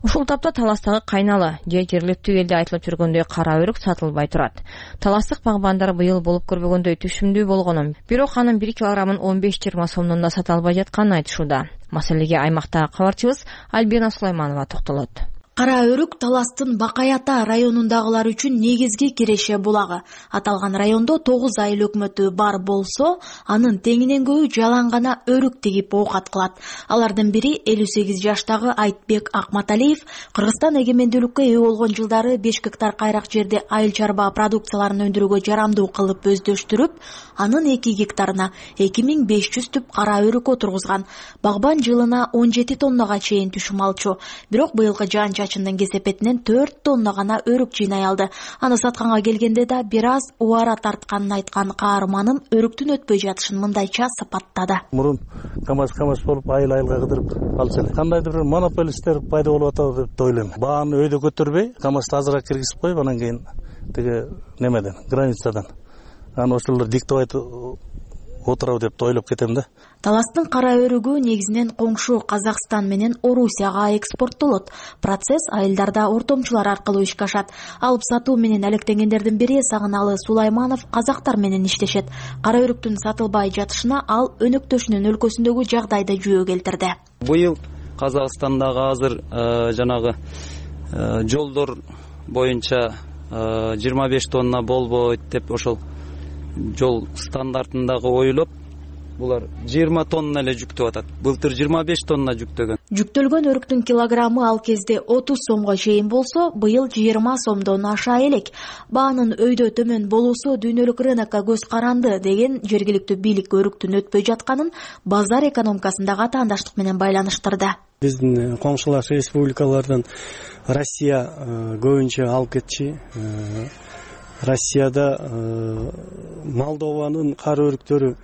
S12: Ушул тапта Таластагы кайналы же жергиликтүү элде айтылып жүргөндөй кара өрүк сатылбай турат. Таластык багбандар быйыл болуп көрбөгөндөй түшүмдүү болгонун, бирок анын бир килограммын он беш жыйырма сомдон да сата албай жатканын айтышууда. Маселеге аймактагы кабарчыбыз Альбина Сулайманова токтолот.
S13: Кара өрүк Таластын Бакаята районундагылар үчүн негизги киреше булагы. Аталган райондо тогуз айыл өкмөтү бар болсо, анын теңинен көбү жалаң гана өрүк тигип оокат кылат. Алардын бири элүү сегиз жаштагы Айтбек Акматалиев Кыргызстан эгемендүүлүккө ээ болгон жылдары беш гектар кайрак жерде айыл чарба продукцияларын өндүрүүгө жарамдуу кылып өздөштүрүп, анын эки гектарына эки миң беш жүз түп кара өрүк отургузган. Багбан жылына он жети тоннага чейин түшүм алчу. Бирок быйылкы жаан чачындын кесепетинен төрт тонна гана өрүк жыйнай алды. Аны сатканга келгенде да бир аз убара тартканын айткан каарманым өрүктүн өтпөй жатышын мындайча сапаттады.
S14: Мурун камаз камаз болуп айыл айылга кыдырып алчу эле. Кандайдыр бир монополисттер пайда болуп атат деп ойлойм. Бааны өйдө көтөрбөй, камазды азыраак киргизип коюп, анан кийин тиги немеден, границадан аны ошолор диктовать отурабы деп ойлоп кетем да.
S13: Таластын кара өрүгү негизинен коңшу Казакстан менен Орусияга экспорттолот. Процесс айылдарда ортомчулар аркылуу ишке ашат. Алып сатуу менен алектенгендердин бири Сагыналы Сулайманов казактар менен иштешет. Кара өрүктүн сатылбай жатышына ал өнөктөшүнүн өлкөсүндөгү жагдайды жүйө келтирди.
S15: Быйыл Казакстандагы азыр жанагы жолдор боюнча жыйырма беш тонна болбойт деп ошол жол стандартындагы ойлоп, булар жыйырма тонна эле жүктөп атат. Былтыр жыйырма беш тонна жүктөгөн.
S13: Жүктөлгөн өрүктүн килограммы ал кезде отуз сомго чейин болсо, быйыл жыйырма сомдон аша элек. Баанын өйдө төмөн болуусу дүйнөлүк рынокко көз каранды деген жергиликтүү бийлик өрүктүн өтпөй жатканын базар экономикасындагы атаандаштык менен байланыштырды.
S14: Биздин коңшулаш республикалардан Россия көбүнчө алып кетчи. Россияда Молдованын кара өрүктөрү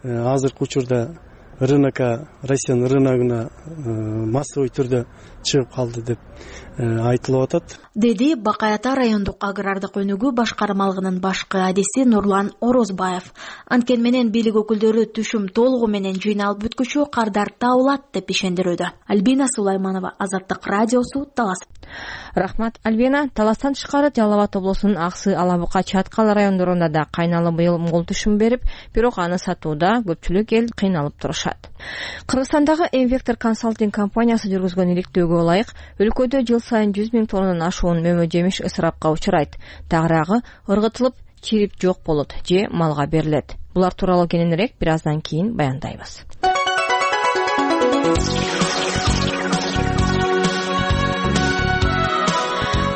S14: азыркы учурда рынокко, Россиянын рыногуна массовый түрдө чыгып калды деп айтылып атат.
S13: Деди Бакаята райондук агрардык өнүгүү башкармалыгынын башкы адиси Нурлан Орозбаев. Анткени менен бийлик өкүлдөрү түшүм толугу менен жыйналып бүткүчө кардар табылат деп ишендирүүдө. Альбина Сулайманова, Азаттык радиосу, Талас.
S12: Рахмат Альбина. Таластан тышкары Жалал Абад облусунун Аксы, Ала Бука, Чаткал райондорунда да кайналы быйыл мол түшүм берип, бирок аны сатууда көпчүлүк эл кыйналып турушат. Кыргызстандагы Инвектор консалтинг компаниясы жүргүзгөн иликтөөгө ылайык өлкөдө жыл сайын жүз миң тоннадан ашуун мөмө жемиш ысырапка учурайт. Тагыраагы ыргытылып, чирип жок болот же малга берилет. Булар тууралуу кененирээк бир аздан кийин баяндайбыз.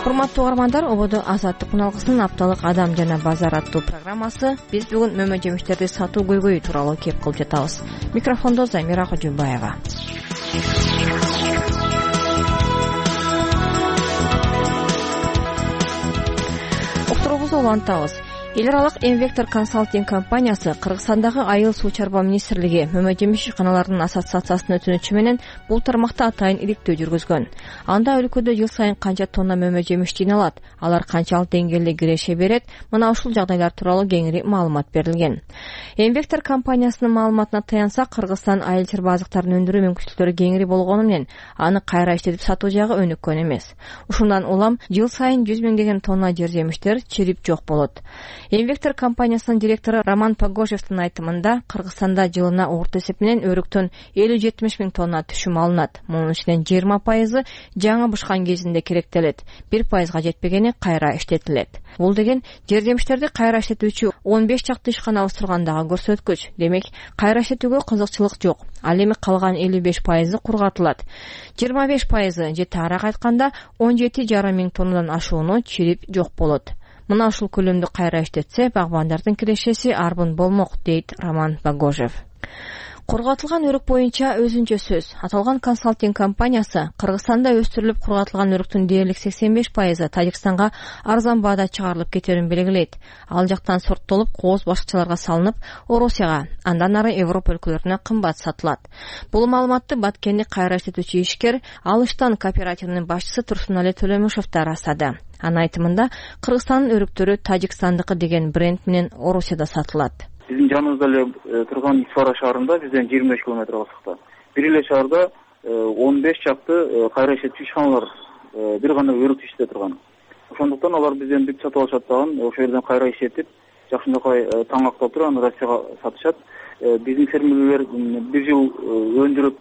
S12: Урматтуу угармандар, ободо Азаттык муналгысынын апталык Адам жана базар аттуу программасы. Биз бүгүн мөмө жемиштерди сатуу көйгөйү тууралуу кеп кылып жатабыз. Микрофондо Замира Кожубаева. Уктуруубузду улантабыз. Эл аралык Инвектор консалтинг компаниясы Кыргызстандагы Айыл суу чарба министрлиги мөмө жемиш ишканаларынын ассоциациясынын өтүнүчү менен бул тармакта атайын иликтөө жүргүзгөн. Анда өлкөдө жыл сайын канча тонна мөмө жемиш жыйналат, алар канчалык деңгээлде киреше берет, мына ушул жагдайлар тууралуу кеңири маалымат берилген. Инвектор компаниясынын маалыматына таянсак, Кыргызстан айыл чарба азыктарын өндүрүү мүмкүнчүлүктөрү кеңири болгону менен аны кайра иштетип сатуу жагы өнүккөн эмес. Ушундан улам жыл сайын жүз миңдеген тонна жер жемиштер чирип жок болот. Инвектор компаниясынын директору Роман Погожевдин айтымында, Кыргызстанда жылына орто эсеп менен өрүктөн элүү жетимиш миң тонна түшүм алынат. Мунун ичинен жыйырма пайызы жаңы бышкан кезинде керектелет, бир пайызга жетпегени кайра иштетилет. Бул деген жер жемиштерди кайра иштетүүчү он беш чакты ишканабыз тургандагы көрсөткүч. Демек, кайра иштетүүгө кызыкчылык жок. Ал эми калган элүү беш пайызы кургатылат. жыйырма беш пайызы же таараак айтканда он жети жарым миң тоннадан ашууну чирип жок болот. Мына ушул көлөмдү кайра иштетсе, багбандардын кирешеси арбын болмок, дейт Роман Погожев. Кургатылган өрүк боюнча өзүнчө сөз. Аталган консалтинг компаниясы Кыргызстанда өстүрүлүп кургатылган өрүктүн дээрлик сексен беш пайызы Тажикстанга арзан баада чыгарылып кетерин белгилейт. Ал жактан сорттолуп, кооз башкачаларга салынып, Орусияга, андан ары Европа өлкөлөрүнө кымбат сатылат. Бул маалыматты Баткенди кайра иштетүүчү ишкер Алыштан кооперативинин башчысы Турсунали Төлөмүшев да ырастады. Анын айтымында, Кыргызстандын өрүктөрү Тажикстандыкы деген бренд менен Орусияда сатылат.
S16: Биздин жаныбызда эле турган Исфара шаарында бизден жыйырма беш километр алыстыкта. Бир эле шаарда он беш чакты кайра иштетүүчү ишканалар бир гана өрүк иштете турган. Ошондуктан алар бизден бүт сатып алышат дагы, ошол жерден кайра иштетип, жакшынакай таңактап туруп аны Россияга сатышат. Биздин фермерлер бир жыл өндүрүп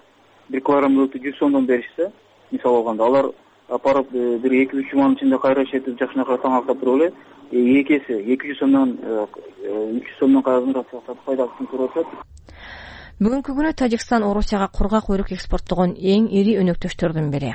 S16: бир килограмм өрүктү жүз сомдон беришсе, мисалы алганда, алар апарып бир эки үч жуманын ичинде кайра иштетип жакшынакай таңактап туруп эле эки эсе эки жүз сомдон үч жүз сомдон кайрадан Россияга пайдасын көрүп атат.
S12: Бүгүнкү күнү Тажикстан Орусияга кургак өрүк экспорттогон эң ири өнөктөштөрдүн бири.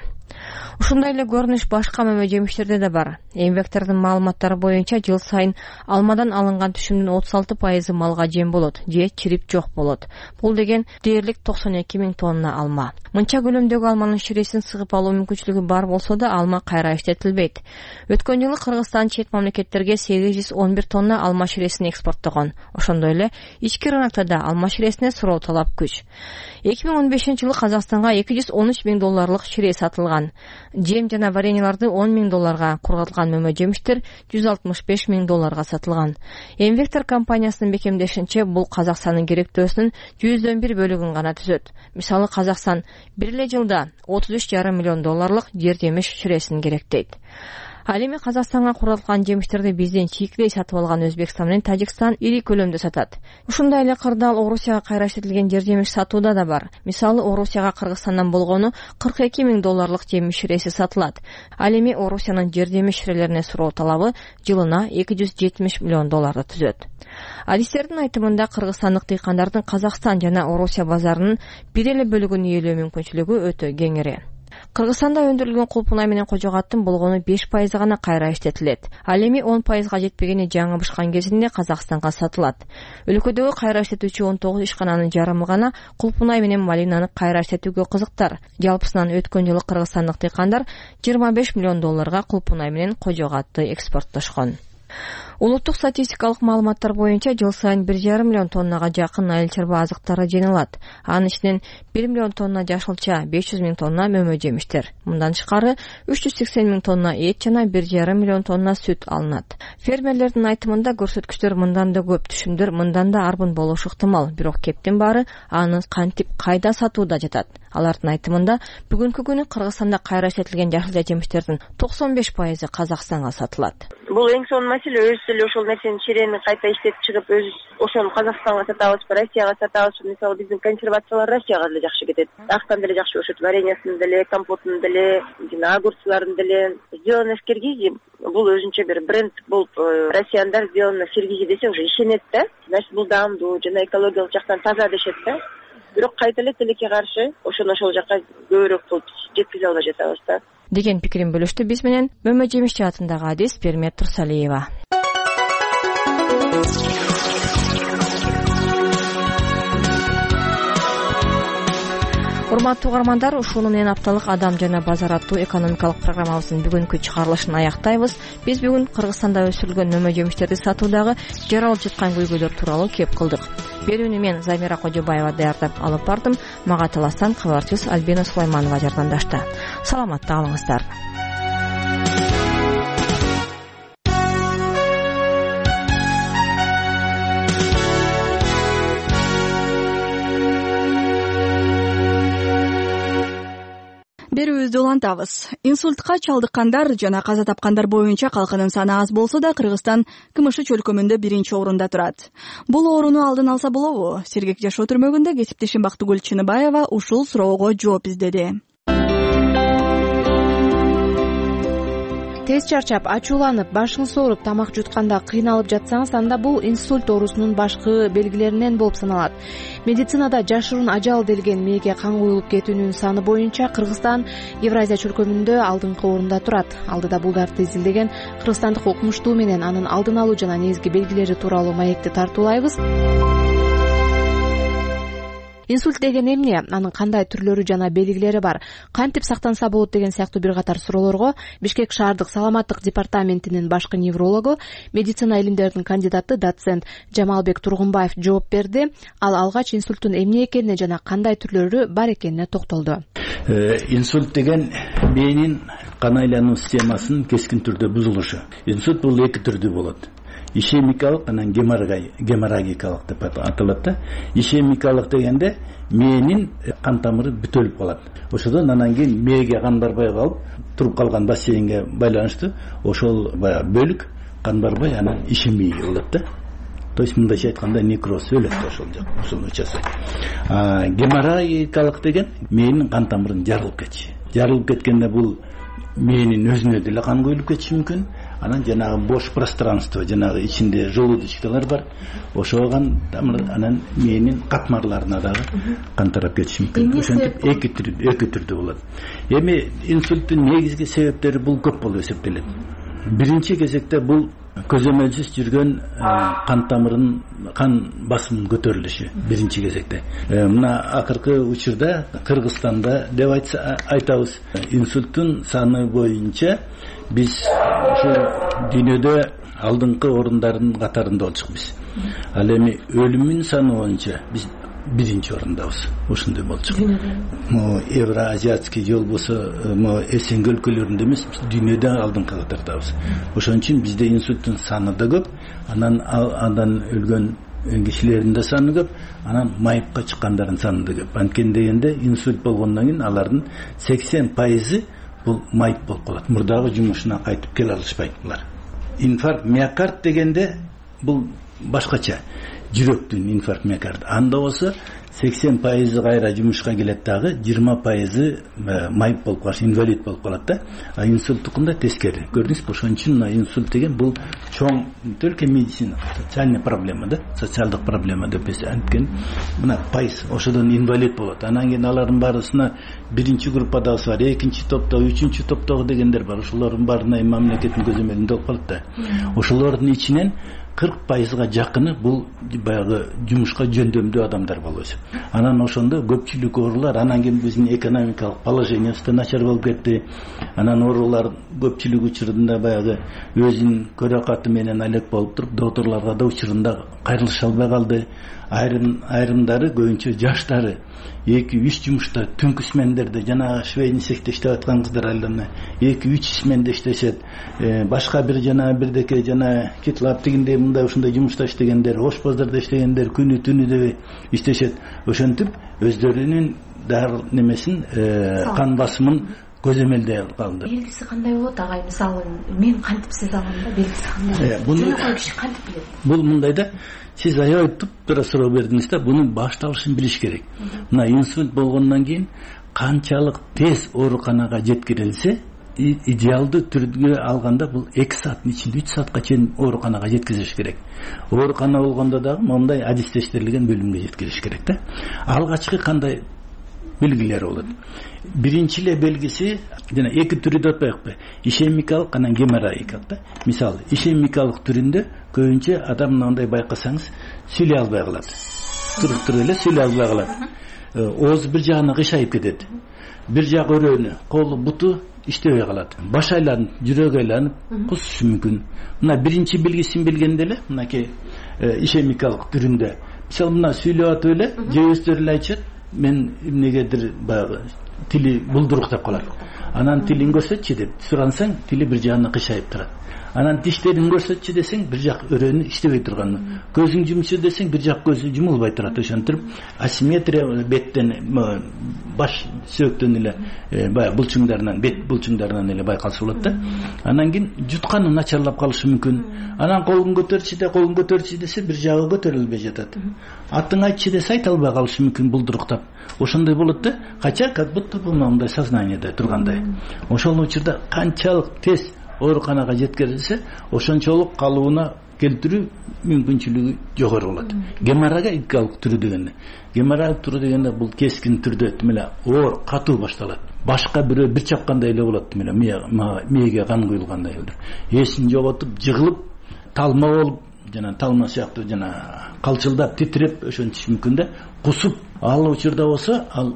S12: Ушундай эле көрүнүш башка мөмө жемиштерде да бар. Инвектордун маалыматтары боюнча жыл сайын алмадан алынган түшүмдүн отуз алты пайызы малга жем болот же чирип жок болот. Бул деген дээрлик токсон эки миң тонна алма. Мынча көлөмдөгү алманын ширесин сыгып алуу мүмкүнчүлүгү бар болсо да, алма кайра иштетилбейт. Өткөн жылы Кыргызстан чет мамлекеттерге сегиз жүз он бир тонна алма ширесин экспорттогон. Ошондой эле ички рынокто да алма ширесине суроо талап күч. эки миң он бешинчи жылы Казакстанга эки жүз он үч миң долларлык шире сатылган. Жем жана вареньяларды он миң долларга, кургатылган мөмө жемиштер жүз алтымыш беш миң долларга сатылган. Инвектор компаниясынын бекемдешинче, бул Казакстандын керектөөсүнүн жүздөн бир бөлүгүн гана түзөт. Мисалы, Казакстан бир эле жылда отуз үч жарым миллион долларлык жер жемиш ширесин керектейт. Ал эми Казакстанга кургатылган жемиштерди бизден чийкилей сатып алган Өзбекстан менен Тажикстан ири көлөмдө сатат. Ушундай эле кырдаал Орусияга кайра иштетилген жер жемиш сатууда да бар. Мисалы, Орусияга Кыргызстандан болгону кырк эки миң долларлык жемиш ширеси сатылат. Ал эми Орусиянын жер жемиш ширелерине суроо талабы жылына эки жүз жетимиш миллион долларды түзөт. Адистердин айтымында, кыргызстандык дыйкандардын Казакстан жана Орусия базарынын бир эле бөлүгүн ээлөө мүмкүнчүлүгү өтө кеңири. Кыргызстанда өндүрүлгөн кулпунай менен кожогаттын болгону беш пайызы гана кайра иштетилет. Ал эми он пайызга жетпегени жаңы бышкан кезинде Казакстанга сатылат. Өлкөдөгү кайра иштетүүчү он тогуз ишкананын жарымы гана кулпунай менен малинаны кайра иштетүүгө кызыктар. Жалпысынан өткөн жылы кыргызстандык дыйкандар жыйырма беш миллион долларга кулпунай менен кожогатты экспорттошкон. Улуттук статистикалык маалыматтар боюнча жыл сайын бир жарым миллион тоннага жакын айыл чарба азыктары жыйналат. Анын ичинен бир миллион тонна жашылча, беш жүз миң тонна мөмө жемиштер. Мындан тышкары үч жүз сексен миң тонна эт жана бир жарым миллион тонна сүт алынат. Фермерлердин айтымында, көрсөткүчтөр мындан да көп, түшүмдөр мындан да арбын болушу ыктымал, бирок кептин баары аны кантип кайда сатууда жатат. Алардын айтымында бүгүнкү күнү Кыргызстанда кайра иштетилген жашыл жемиштердин токсон беш пайызы Казакстанга сатылат.
S17: Бул эң сонун маселе, өзүбүз эле ошол нерсени черени кайта иштетип чыгып, өзүбүз ошону Казакстанга сатабызбы, Россияга сатабызбы? Мисалы биздин консервациялар Россияга деле жакшы кетет. Дагыстан деле жакшы болушат, вареньясын деле, компотун деле, жана огурцларын деле. Сделано в Киргизии. Бул өзүнчө бир бренд болуп, россияндар сделано в Киргизии десе уже ишенет да. Значит, бул даамдуу жана экологиялык жактан таза дешет да. Бирок кайта эле тилекке каршы ошону ошол жака көбүрөөк кылып жеткизе албай жатабыз да.
S12: Деген пикирин бөлүштү биз менен Мөмө Жемиш театрындагы адис Пермет Турсалиева. Урматтуу угармандар, ушуну менен апталык Адам жана базар аттуу экономикалык программабыздын бүгүнкү чыгарылышын аяктайбыз. Биз бүгүн Кыргызстанда өсүрүлгөн нөмө жемиштерди сатуудагы жаралып жаткан көйгөйлөр тууралуу кеп кылдык. Берүүнү мен Замира Кожобаева даярдап алып бардым. Мага таластан кабарчыбыз Альбина Сулайманова жардамдашты. Саламатта калыңыздар.
S1: Берүүбүздү улантабыз. Инсультка чалдыккандар жана каза тапкандар боюнча калкынын саны аз болсо да Кыргызстан КМШ чөлкөмүндө биринчи орунда турат. Бул орунду алдын алса болобу? Сергек жашоо түрмөгүндө кесиптешим Бактыгүл Чыныбаева ушул суроого жооп издеди.
S18: Тез чарчап, ачууланып, башыңыз ооруп, тамак жутканда кыйналып жатсаңыз, анда бул инсульт оорусунун башкы белгилеринен болуп саналат. Медицинада жашыруун ажал делген мээге кан куюлуп кетүүнүн саны боюнча Кыргызстан Евразия чөлкөмүндө алдыңкы орунда турат. Алдыда булдарды изилдеген кыргызстандык окумуштуу менен анын алдын алуу жана негизги белгилери тууралуу маекти тартуулайбыз. Инсульт деген эмне? Анын кандай түрлөрү жана белгилери бар? Кантип сактанса болот деген сыяктуу бир катар суроолорго Бишкек шаардык саламаттык департаментинин башкы неврологу, медицина илимдеринин кандидаты доцент Жамалбек Тургунбаев жооп берди. Ал алгач инсульттун эмне экенине жана кандай түрлөрү бар экенине токтолду.
S19: Инсульт деген мээнин кан айлануу системасынын кескин түрдө бузулушу. Инсульт бул эки түрдүү болот. Ишемикалык анан геморрагикалык деп аталат да. Ишемикалык дегенде мээнин кан тамыры бүтөлүп калат. Ошодон анан кийин мээге кан барбай калып, туруп калган бассейнге байланыштуу ошол баягы бөлүк кан барбай анан ишемий болот да. То есть мындайча айтканда некроз өлөт ошол жак, ошол учасы. А геморрагикалык деген мээнин кан тамырын жарылып кетиши. Жарылып кеткенде бул мээнин өзүнө деле кан куюлуп кетиши мүмкүн. Анан жанагы бош пространство, жанагы ичинде желудочкалар бар. Ошоган анан мээнин катмарларына дагы кан тарап кетиши мүмкүн. Ошентип эки түрдүү, эки түрдүү болот. Эми инсульттун негизги себептери бул көп болуп эсептелет. Биринчи кезекте бул көзөмөлсүз жүргөн кан тамырынын кан басымынын көтөрүлүшү биринчи кезекте. Мына акыркы учурда Кыргызстанда деп айтабыз, инсульттун саны боюнча биз ушул дүйнөдө алдыңкы орундардын катарында болчукпуз. Ал эми өлүмүн саны боюнча биз биринчи орундабыз. Ушундай болчук. Могу Евроазиатский жол болсо, могу СНГ өлкөлөрүндө эмес, дүйнөдө алдыңкы катардабыз. Ошон үчүн бизде инсульттун саны да көп, анан андан өлгөн кишилердин да саны көп, анан майыпка чыккандардын саны да көп. Анткени дегенде инсульт болгондон кийин алардын сексен пайызы бул майып болуп калат. Мурдагы жумушуна кайтып келе алышпайт булар. Инфаркт миокард дегенде бул башкача. Жүрөктүн инфаркт миокард. Анда болсо сексен пайызы кайра жумушка келет дагы, жыйырма пайызы майып болуп калат, инвалид болуп калат да. А инсульттукунда тескери. Көрдүңүзбү? Ошон үчүн инсульт деген бул чоң только медицина, социальный проблема да, социалдык проблема деп анткени мына пайыз ошодон инвалид болот. Анан кийин алардын баарысына биринчи группадагысы бар, экинчи топтогу, үчүнчү топтогу дегендер бар. Ошолордун баарына мамлекеттин көзөмөлүндө болуп калат да. Ошолордун ичинен кырк пайызга жакыны бул баягы жумушка жөндөмдүү адамдар болуп эсеп. Анан ошондо көпчүлүк оорулар, анан кийин биздин экономикалык положениябыз да начар болуп кетти. Анан оорулар көпчүлүк учурунда баягы өзүнүн көрөкаты менен алек болуп туруп, докторлорго да учурунда кайрылыша албай калды. Айрым айрымдары көбүнчө жаштары эки үч жумушта түнкү смендерде жана швейный цехте иштеп аткан кыздар айлана эки үч сменде иштешет. Башка бир жана бирдеке жана китлап дегендей мындай ушундай жумушта иштегендер, ошпоздордо иштегендер күнү түнү деп иштешет. Ошентип өздөрүнүн дары немесин кан басымын көзөмөлдөй калды.
S18: Белгиси кандай болот агай? Мисалы мен кантип сезе алам да, белгиси кандай? Жөнөкөй киши кантип билет?
S19: Бул мындай да, сиз аябай туп-туура суроо бердиңиз да, бунун башталышын билиш керек. Мына инсульт болгондон кийин канчалык тез ооруканага жеткирилсе, идеалдуу түрдө алганда бул эки сааттын ичинде үч саатка чейин ооруканага жеткизиш керек. Оорукана болгондо дагы мондай адистештирилген бөлүмгө жеткириш керек да. Алгачкы кандай белгилери болот? Биринчи эле белгиси жана эки түрү деп атпайбы? Ишемикалык анан геморрагикалык да. Мисалы, ишемикалык түрүндө көбүнчө адам мындай байкасаңыз сүйлөй албай калат. Туруп-туруп эле сүйлөй албай калат. Ооз бир жагына кыйшайып кетет. Бир жак өрөөнү, колу, буту иштебей калат. Баш айланып, жүрөгү айланып, кусушу мүмкүн. Мына биринчи белгисин билгенде эле, мынакей ишемикалык түрүндө. Мисалы мына сүйлөп атып эле, же өздөрү эле айтышат, мен эмнегедир баягы тили булдурук деп калат. Анан тилин көрсөтчү деп сурансаң, тили бир жагына кыйшайып турат. Анан тиштерин көрсөтчү десең, бир жак өрөөнү иштебей турган. Көзүң жумчу десең, бир жак көзү жумулбай турат. Ошентип асимметрия беттен, баш сөөктөн эле баягы булчуңдарынан, бет булчуңдарынан эле байкалса болот да. Анан кийин жутканы начарлап калышы мүмкүн. Анан колун көтөрчү де, колун көтөрчү десе, бир жагы көтөрүлбөй жатат. Атын айтчы десе, айта албай калышы мүмкүн булдуруктап. Ошондой болот да. Кача как будто бул мындай сознаниеде тургандай. Ошол учурда канчалык тез ооруканага жеткирилсе, ошончолук калыбына келтирүү мүмкүнчүлүгү жогору болот. Геморрагикалык түрү дегенде, геморрагик түрү дегенде бул кескин түрдө тимеле оор, катуу башталат. Башка бирөө бир чапкандай эле болот, тимеле мээге кан куюлгандай эле. Эсин жоготуп, жыгылып, талма болуп, жана талма сыяктуу жана калчылдап, титиреп ошентиш мүмкүн да. Кусуп, ал учурда болсо, ал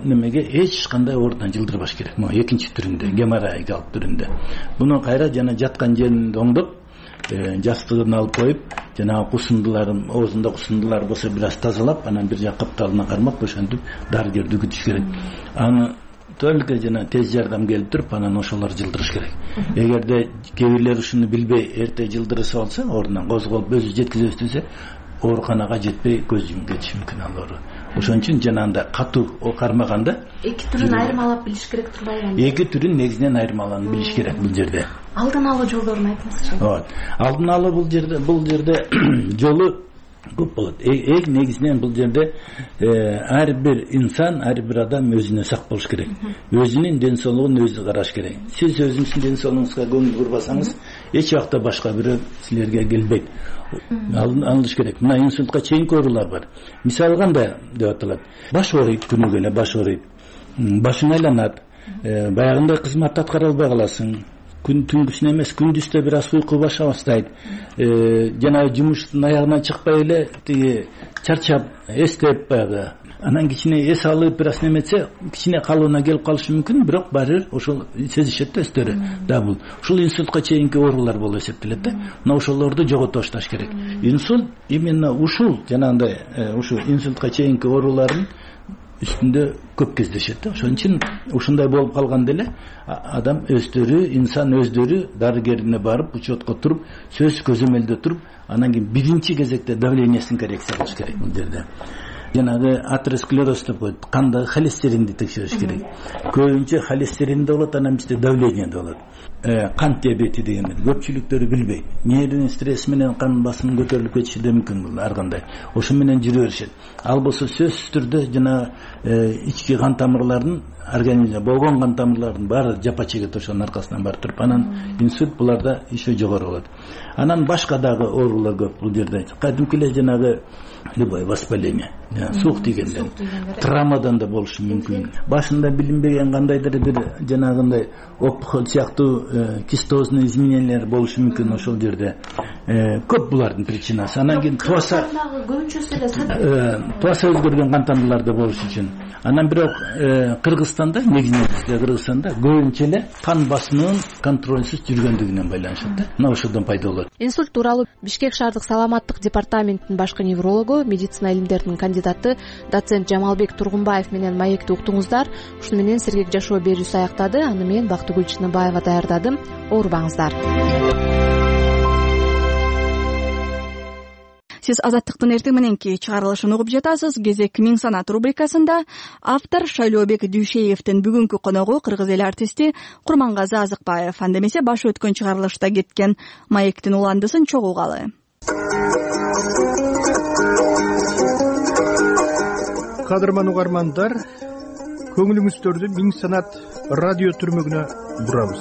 S19: немеге эч кандай оорудан жылдырбаш керек. Могу экинчи түрүндө, геморрагикалык түрүндө. Буну кайра жана жаткан жеринде оңдоп, жастыгын алып коюп, жана кусундуларын, оозунда кусундулар болсо бир аз тазалап, анан бир жак капталына кармап, ошентип дарыгерди күтүш керек. Аны только жана тез жардам келип туруп, анан ошолор жылдырыш керек. Эгерде кээ бирлер ушуну билбей эрте жылдырса болсо, ордунан козголуп өзү жеткизе бергенде ооруканага жетпей көз жумуп кетиши мүмкүн ал оору. Ошон үчүн жанагындай катуу кармаганда
S18: эки түрүн айырмалап билиш керек турбайбы?
S19: Эки түрүн негизинен айырмаланып билиш керек бул жерде.
S18: Алдын алуу жолдорун айтыңызчы.
S19: Ооба. Алдын алуу бул жерде бул жерде жолу көп болот. Эң негизинен бул жерде ар бир инсан, ар бир адам өзүнө сак болуш керек. Өзүнүн ден соолугун өзү караш керек. Сиз өзүңүздүн ден соолугуңузга көңүл бурбасаңыз, эч убакта башка бирөө силерге келбейт. Алыныш керек. Мына инсультка чейинки оорулар бар. Мисалы кандай деп аталат? Баш ооруйт, күнүгө эле баш ооруйт. Башың айланат. Баягындай кызматты аткара албай каласың. Күн түнгүсүн эмес, күндүздө бир аз уйку баша баштайт. Жана жумуштун аягына чыкпай эле тиги чарчап, эстеп баягы. Анан кичине эс алып бир аз неметсе, кичине калыбына келип калышы мүмкүн, бирок баары бир ошол сезишет да өздөрү. Да бул ушул инсультка чейинки оорулар болуп эсептелет да. Мына ошолорду жогото башташ керек. Инсульт именно ушул жанагындай ушу инсультка чейинки оорулардын үстүндө көп кездешет да. Ошон үчүн ушундай болуп калганда эле адам өздөрү, инсан өздөрү дарыгерине барып, учетко туруп, сөз көзөмөлдө туруп, анан кийин биринчи кезекте давлениесин коррекция кылыш керек бул жерде. Жанагы атеросклероз деп коет, кандагы холестеринди текшериш керек. Көбүнчө холестерин да болот, анан бизде давление да болот. Кант диабети дегенди көпчүлүктөрү билбейт. Нервный стресс менен кан басымы көтөрүлүп кетиши да мүмкүн бул ар кандай. Ошо менен жүрө беришет. Ал болсо сөзсүз түрдө жана ички кан тамырлардын организмде болгон кан тамырлардын баары жапа чегет, ошонун аркасынан барып туруп, анан инсульт буларда еще жогору болот. Анан башка дагы оорулар көп бул жерде. Кадимки эле жанагы любое воспаление, суук тийгенден, травмадан да болушу мүмкүн. Башында билинбеген кандайдыр бир жанагындай опухоль сыяктуу кистозный изменениялар болушу мүмкүн ошол жерде. Көп булардын причинасы. Анан кийин туаса
S18: көбүнчөсү эле
S19: туаса өзгөргөн кан тамырлар да болушу үчүн. Анан бирок Кыргызстанда, негизинен Кыргызстанда көбүнчө эле кан басымынын контролсуз жүргөндүгүнөн байланышат да. Мына ошодон пайда болот.
S18: Инсульт тууралуу Бишкек шаардык саламаттык департаментинин башкы неврологу, медицина илимдеринин кандидаты доцент Жамалбек Тургунбаев менен маекти уктуңуздар. Ушуну менен Сергек жашоо берүүсү аяктады. Аны мен Бактыгүл Чыныбаева даярдадым. Оорубаңыздар.
S1: сиз Азаттыктын эртең мененки чыгарылышын угуп жатасыз. Кезек Миң санат рубрикасында автор Шайлообек Дүйшеевдин бүгүнкү коногу кыргыз эл артисти Курмангазы Азыкбаев. Анда эмесе башы өткөн чыгарылышта кеткен маектин уландысын чогулгалы.
S2: Кадырман угармандар, көңүлүңүздөрдү Миң санат радио түрмөгүнө бурабыз.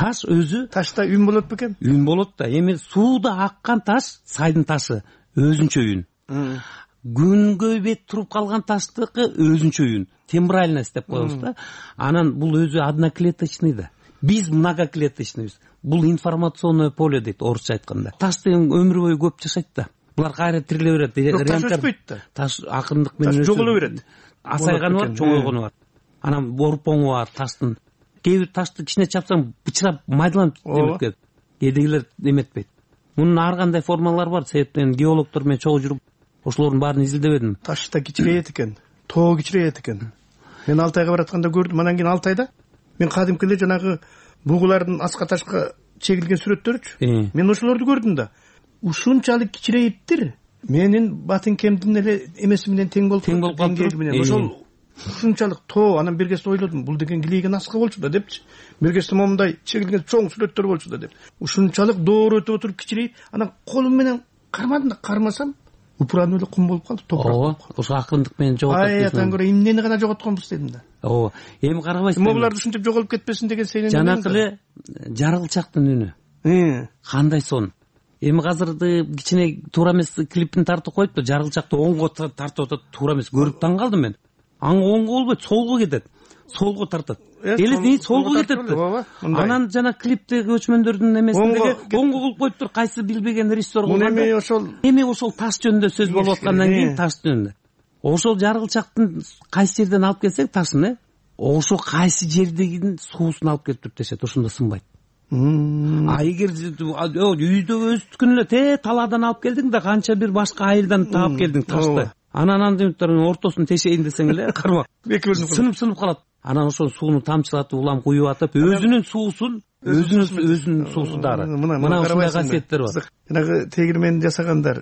S20: Таш өзү
S2: ташта үн болот бекен?
S20: Үн болот да. Эми сууда аккан таш, сайдын ташы өзүнчө үн. Күнгө бет туруп калган таштыкы өзүнчө үн. Тембральность деп коебуз да. Анан бул өзү одноклеточный да. Биз многоклеточныйбыз. Бул информационное поле дейт орусча айтканда. Таш деген өмүр бою көп жашайт да. Булар кайра тириле берет.
S2: Таш өспөйт да.
S20: Таш акырындык менен
S2: таш жоголо берет.
S20: Асайганы бар, чоңойгону бар. Анан борпоңу бар таштын. Кээ бир ташты кичине чапсаң бычырап майдаланып эмет кетет. Кээдегилер эметпейт. Мунун ар кандай формалары бар. Себептен геологдор менен чогуу жүрүп ошолордун баарын изилдебедим.
S2: Таш да кичирейет экен, тоо кичирейет экен. Мен Алтайга баратканда көрдүм. Анан кийин Алтайда мен кадимки эле жанагы бугулардын аска ташка чегилген сүрөттөрүчү. Мен ошолорду көрдүм да. Ушунчалык кичирейиптир. Менин батынкемдин эле эмеси менен тең болуп калат. Ошол ушунчалык тоо. Анан бир кезде ойлодум, бул деген килейген аска болчу да депчи. Бир кезде момундай чегилген чоң сүрөттөр болчу да деп. Ушунчалык доор өтүп отуруп кичирейип, анан колум менен кармадым да, кармасам упуран эле кум болуп калды, топурак.
S20: Ооба, ошо акырындык менен жоготот.
S2: Ай, атан көрө эмнени гана жоготконбуз дедим да.
S20: Ооба. Эми карабайсызбы?
S2: Могуларды ушинтип жоголуп кетпесин деген сенен.
S20: Жанакы эле жаргылчактын үнү. Кандай сон. Эми азырды кичине туура эмес клипин тартып коюпту, жаргылчакты оңго тартып атат, туура эмес. Көрүп таң калдым мен. Аңа оңго болбойт, солго кетет. Солго тартат. Эле солго кетет. Анан жана клиптеги өчмөндөрдүн эмесиндеги оңго кылып коюптур, кайсы билбеген режиссер болгондо.
S2: Эми ошол
S20: эми ошол таш жөнүндө сөз болуп аткандан кийин таш жөнүндө. Ошол жаргылчактын кайсы жерден алып келсек ташын, э, ошо кайсы жердегин суусун алып келип туруп дешет, ошондо сынбайт. А эгер үйдө өздүкүн эле те талаадан алып келдиң да канча бир башка айылдан таап келдиң ташты. Анан андыктарын ортосун тешейин десең эле карма. Сынып-сынып калат. Анан ошол сууну тамчылатып, улам куюп атып, өзүнүн суусун, өзүнүн өзүнүн суусу дары. Мына ушундай касиеттер бар.
S2: Жанагы тегирмени жасагандар,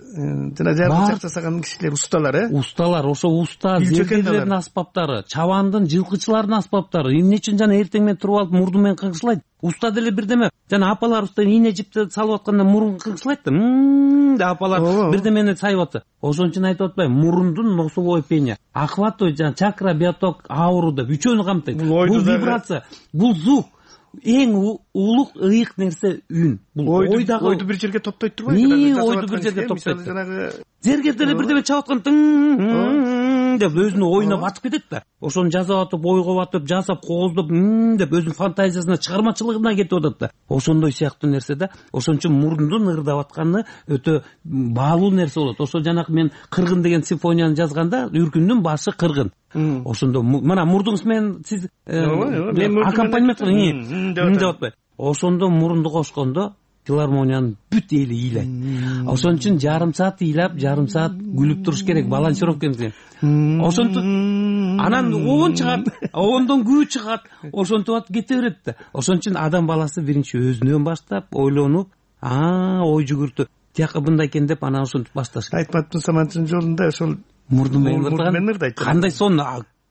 S2: жана жаргылчак жасаган кишилер усталар, э?
S20: Усталар, ошо уста зергерлердин аспаптары, чабандын, жылкычылардын аспаптары. Эмне үчүн жана эртең менен туруп алып мурду менен кыңшылайт? Уста деле бирдеме, жана апалар уста ийне жипти салып атканда мурун кыңшылайт да. Мм, апалар бирдемени сайып атса. Ошон үчүн айтып атпайбы, мурундун носовой пеня, охват, жана чакра, биоток, ауру деп үчөөнү камтыйт. Бул вибрация, бул звук. Эң улук ыйык нерсе үн. Бул ойдагы
S2: ойду бир жерге топтойт турбайбы?
S20: Ни ойду бир жерге топтойт.
S2: Жанагы
S20: зергердер бирдеме чалып аткан деп өзүнүн оюна батып кетет да. Ошону жазап атып, ойго батып, жасап, кооздоп деп өзүнүн фантазиясына, чыгармачылыгына кетип атат да. Ошондой сыяктуу нерсе да. Ошон үчүн мурундун ырдап атканы өтө баалуу нерсе болот. Ошо жанакы мен Кыргын деген симфонияны жазганда Үркүндүн башы Кыргын. Ошондо мына мурдуңуз менен сиз аккомпанемент деп атпайбы? Ошондо мурунду кошкондо филармониянын бүт эли ыйлайт. Ошон үчүн жарым саат ыйлап, жарым саат күлүп туруш керек, балансировкамыз. Ошентип анан оон чыгат, оондон күү чыгат, ошентип атып кете берет да. Ошон үчүн адам баласы биринчи өзүнөн баштап, ойлонуп, а ой жүгүртүп, тияка мындай экен деп анан ошентип башташ керек.
S2: Айтматтын Саманчынын жолунда ошол
S20: мурду менен ырдайт. Кандай сон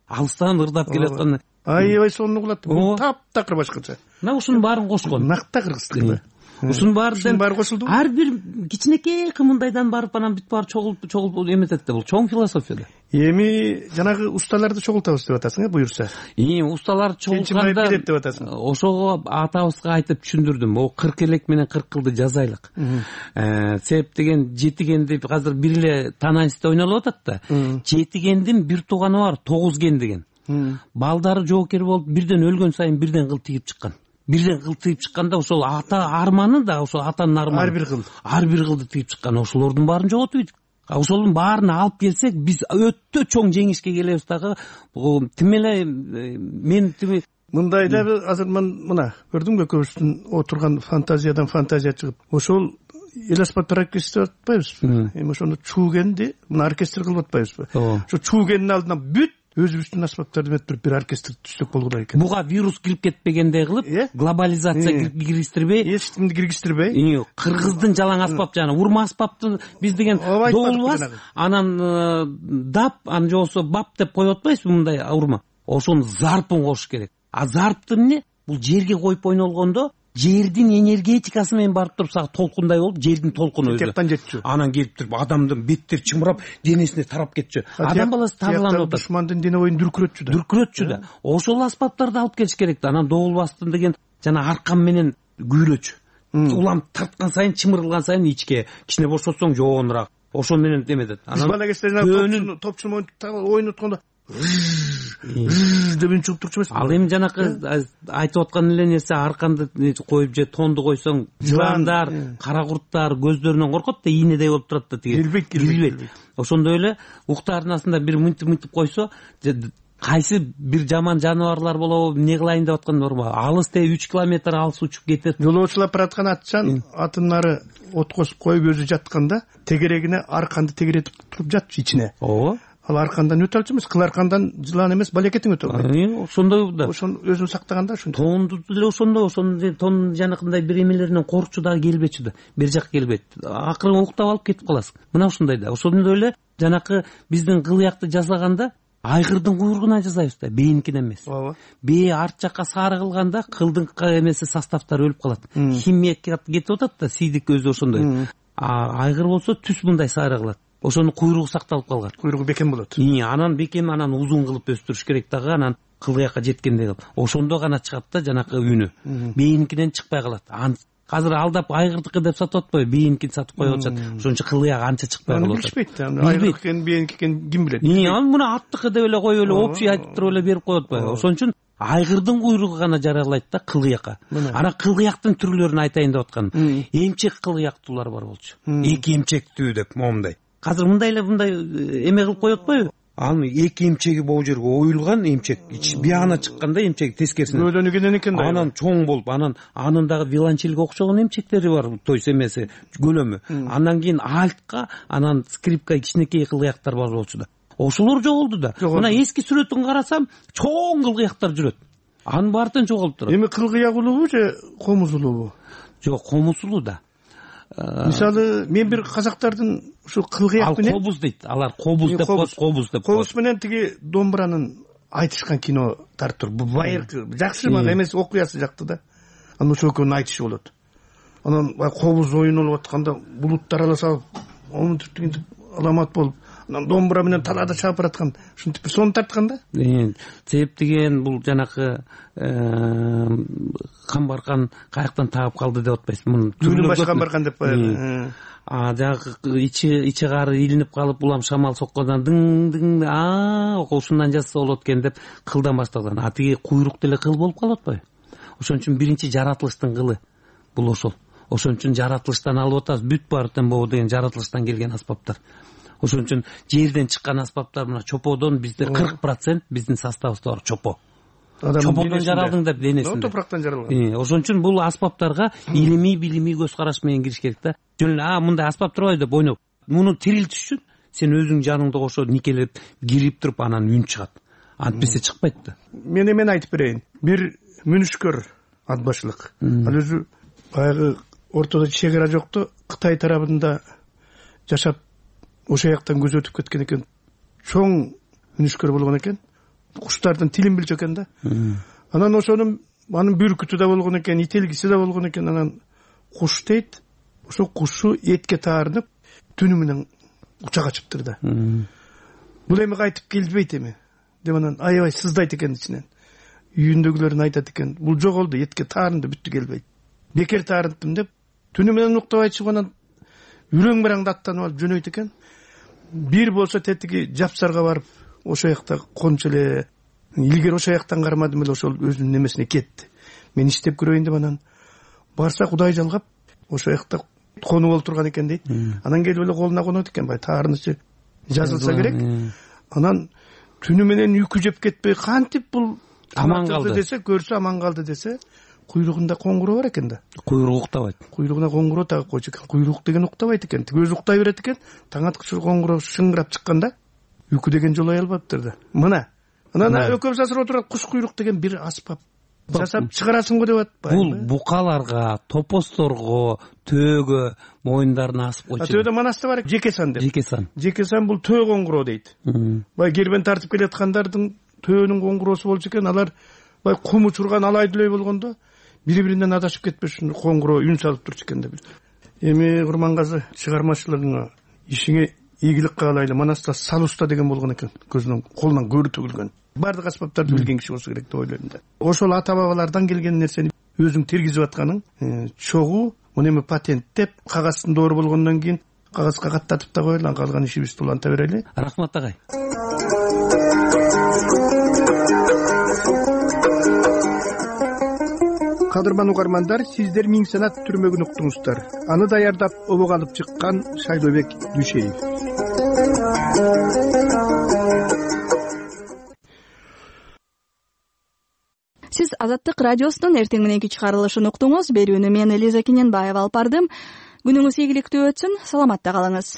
S20: алыстан ырдап келаткан.
S2: Аябай сонун угулат. Бул таптакыр башкача.
S20: Мына ушунун баарын кошкон.
S2: Накта кыргызчылык.
S20: Ушунун баары кошулду. Ар бир кичинекей кымындайдан барып анан бүт баары чогулуп чогулуп эметет да. Бул чоң философия да.
S2: Эми жанагы усталарды чогултабыз деп атасың, э, буюрса.
S20: Эми усталар чогултканда
S2: деп атасың.
S20: Ошого атабызга айтып түшүндүрдүм. О кырк элек менен кырк кылды жазайлык. Э, себеп деген жетигенди азыр бир эле тананисте ойнолуп атат да. Жетигендин бир тууганы бар, тогуз ген деген. Балдары жоокер болуп бирден өлгөн сайын бирден кыл тигип чыккан. Бирден кыл тигип чыкканда ошол ата арманы да, ошол атанын арманы.
S2: Ар бир кыл.
S20: Ар бир кылды тигип чыккан. Ошолордун баарын жоготуп ийдик. Ошолдун баарын алып келсек, биз өтө чоң жеңишке келебиз дагы. Тим эле мен тим
S2: мындай да азыр мына көрдүңбү көбүсүнүн отурган фантазиядан фантазия чыгып, ошол эл аспаптар оркестри деп атпайбызбы? Эми ошону чуугенди мына оркестр кылып атпайбызбы? Ошо чуугендин алдына бүт
S21: өзүбүздүн аспаптарды метип бир оркестр түзсөк болгодай экен.
S20: Буга вирус кирип кетпегендей кылып, глобализация киргизтирбей,
S21: эч кимди киргизтирбей,
S20: кыргыздын жалаң аспап жана урма аспапты биз деген доолбас, анан дап, аны же болбосо бап деп коюп атпайбызбы мындай урма. Ошонун зарпын кошуш керек. А зарпты эмне? Бул жерге коюп ойнолгондо жердин энергетикасы менен барып туруп сага толкундай болуп, жердин толкуну өзү
S21: тияктан жетчү.
S20: Анан келип туруп адамдын беттери чымырап, денесине тарап кетчү. Адам баласы тарланып атат.
S21: Душмандын дене боюн дүркүрөтчү да.
S20: Дүркүрөтчү да. Ошол аспаптарды алып келиш керек да. Анан доолбастын деген жана аркан менен күйрөчү. Улам тарткан сайын, чымырылган сайын ичке, кичине бошотсоң жоонураак. Ошол менен деметет.
S21: Анан бала кезде топчу ойноткондо деп үн чыгып турчу эмеспи?
S20: Ал эми жанакы айтып аткан эле нерсе, арканды коюп же тонду койсоң, жыландар, кара курттар көздөрүнөн коркот да, ийнедей болуп турат да, тиги
S21: кирбейт, кирбейт.
S20: Ошондой эле укту арнасында бир мынтип-мынтип койсо, кайсы бир жаман жаныбарлар болобу, эмне кылайын деп аткан норма. Алыс те үч километр алыс учуп кетет.
S21: Жолоочулап бараткан атчан атын ары от косуп коюп өзү жатканда тегерегине арканды тегеретип туруп жатчу ичине.
S20: Ооба.
S21: Ал аркандан өтө алчу эмес, кыл аркандан жылан эмес, балекетиң өтө алат.
S20: Ошондой да.
S21: Ошону өзүн сактаганда ошондой.
S20: Тонду деле ошондой, ошону тон жанакындай бир эмелеринен коркчу дагы келбечү да. Бир жак келбейт. Акырын уктап алып кетип каласың. Мына ошондой да. Ошондой эле жанакы биздин кылыякты жасаганда айгырдын куйругуна жасайбыз да, бээникинен эмес.
S21: Ооба.
S20: Бээ арт жакка сары кылганда кылдын эмеси составтары өлүп калат. Химия кетип атат да, сийдик өзү ошондой. А айгыр болсо түз мындай сары кылат. Ошонун куйругу сакталып калган.
S21: Куйругу бекем болот.
S20: Анан бекем, анан узун кылып өстүрүш керек дагы, анан кылыякка жеткендей кылып. Ошондо гана чыгат да жанакы үнү. Бээникинен чыкпай калат. Азыр алдап айгырдыкы деп сатып атпайбы, бээникин сатып коюп атышат. Ошон үчүн кылыяк анча чыкпай калат.
S21: Билишпейт да. Айгырдык экен, бээник экен ким билет?
S20: Анан муну аттыкы деп эле коюп эле общий айтып туруп эле берип коюп атпайбы. Ошон үчүн айгырдын куйругу гана жаралайт да кылыякка. Анан кылыяктын түрлөрүн айтайын деп атканым. Эмчек кылыяктуулар бар болчу. Эки эмчектүү деп момундай. Азыр мындай эле мындай эме кылып коюп атпайбы? Ал эки эмчеги могу жерге оюлган эмчек, биягына чыкканда эмчек тескерисинен.
S21: Өлөнү кенен экен да.
S20: Анан чоң болуп, анан анын дагы виолончельге окшогон эмчектери бар, то есть эмеси, көлөмү. Андан кийин альтка, анан скрипка, кичинекей кылыяктар бар болчу да. Ошолор жоголду да. Мына эски сүрөтүн карасам, чоң кылыяктар жүрөт. Анын баардыгы жоголуп турат.
S21: Эми кылыяк улуубу же комуз улуубу?
S20: Жок, комуз улуу да.
S21: Мисалы, мен бир казактардын ушу кылгыяк менен,
S20: ал кобуз дейт, алар кобуз деп коет, кобуз деп коет.
S21: Кобуз менен тиги домбуранын айтышкан кино тартып тур. Байыркы жакшы, мага эмес окуясы жакты да. Анан ошол экөөнүн айтышы болот. Анан кобуз ойнолуп атканда булуттар аралашып, омунтип дегенде аламат болуп, анан домбура менен талаада чаап бараткан, ушинтип бир сонун тарткан да.
S20: Себеп деген бул жанакы камбаркан каяктан таап калды деп атпайсызбы? Муну
S21: түрлүү баш камбаркан деп коет.
S20: А жагы ичи ичи кары илинип калып, улам шамал соккондан дың-дың, а ошондон жазса болот экен деп кылдан башталган. А тиги куйрук деле кыл болуп калып атпайбы? Ошон үчүн биринчи жаратылыштын кылы бул ошол. Ошон үчүн жаратылыштан алып атабыз, бүт баардыгын боо деген жаратылыштан келген аспаптар. Ошон үчүн жерден чыккан аспаптар мына чоподон бизде кырк процент биздин составыбызда бар чопо. Чоподон жаралдың деп денесинде.
S21: Топурактан жаралган.
S20: Ошон үчүн бул аспаптарга илимий, билимий көз караш менен кириш керек да. Жөн эле а мындай аспап турбайбы деп ойноп, муну тирилтиш үчүн сен өзүң жаныңды кошо никелеп, кирип туруп анан үн чыгат. Антпесе чыкпайт да.
S21: Мен эмен айтып берейин. Бир мүнүшкөр ат башлык. Ал өзү баягы ортодо чек ара жокту Кытай тарабында жашап ошол жактан көз өтүп кеткен экен. Чоң мүнүшкөр болгон экен. Куштардын тилин билчү экен да. Анан ошонун анын бүркүтү да болгон экен, ителгиси да болгон экен. Анан куш дейт, ошо кушу этке таарынып, түнү менен учак ачыптыр да. Бул эми кайтып келбейт эми деп анан аябай сыздайт экен ичинен. Үйүндөгүлөрүн айтат экен, бул жоголду, этке таарынды, бүттү келбейт. Бекер таарынттым деп түнү менен уктабай чыгып анан үрөң бараңды аттанып алып жөнөйт экен. Бир болсо тетиги жапсарга барып, ошол жакта кончу эле, илгери ошол жактан кармадым эле, ошол өзүнүн немесине кетти. Мен иштеп көрөйүн деп анан барса Кудай жалгап, ошол жакта конуп болуп турган экен дейт. Анан келип эле колуна конот экен, бай таарынычы жазылса керек. Анан түнү менен үйкү жеп кетпей, кантип бул
S20: аман калды
S21: десе, көрсө аман калды десе, куйругунда коңгуроо бар экен да.
S20: Куйругу уктабайт.
S21: Куйругуна коңгуроо тагып койчу экен. Куйрук деген уктабайт экен. Тиги өзү уктай берет экен. Таң аткычы коңгуроо шыңгырап чыкканда, үйкү деген жолой албаптыр да. Мына анан экөөбүз азыр отурат куш куйрук деген бир аспап жасап чыгарасың го деп атпайбы?
S20: Бул букаларга, топосторго, төөгө моюндарына асып койчу.
S21: Төөдө манаста бар жеке сан деп.
S20: Жеке сан.
S21: Жеке сан бул төө коңгуроо дейт. Бай кербен тартып келаткандардын төөнүн коңгуроосу болчу экен. Алар бай кум учурган алайдылой болгондо бири-биринен адашып кетпеш үчүн коңгуроо үн салып турчу экен деп. Эми Курмангазы, чыгармачылыгыңа, ишиңе ийгилик каалайлы. Манаста сал уста деген болгон экен. Көзүнөн, колунан көрү төгүлгөн. Бардык аспаптарды билген киши болсо керек деп ойлойм да. Ошол ата бабалардан келген нерсени өзүң тергизип атканың чогуу муну эми патенттеп, кагазын доор болгондон кийин кагазга каттатып да коелу, калган ишибизди уланта берели.
S20: Рахмат агай.
S2: Кадырман угармандар, сиздер Миң санат түрмөгүн уктуңуздар. Аны даярдап обого алып чыккан Шайлообек Дүшеев.
S1: Сиз Азаттык радиосунун эртең мененки чыгарылышын уктуңуз. Берүүнү мен Элиза Кененбаева алып бардым. Күнүңүз ийгиликтүү өтсүн. Саламатта калыңыз.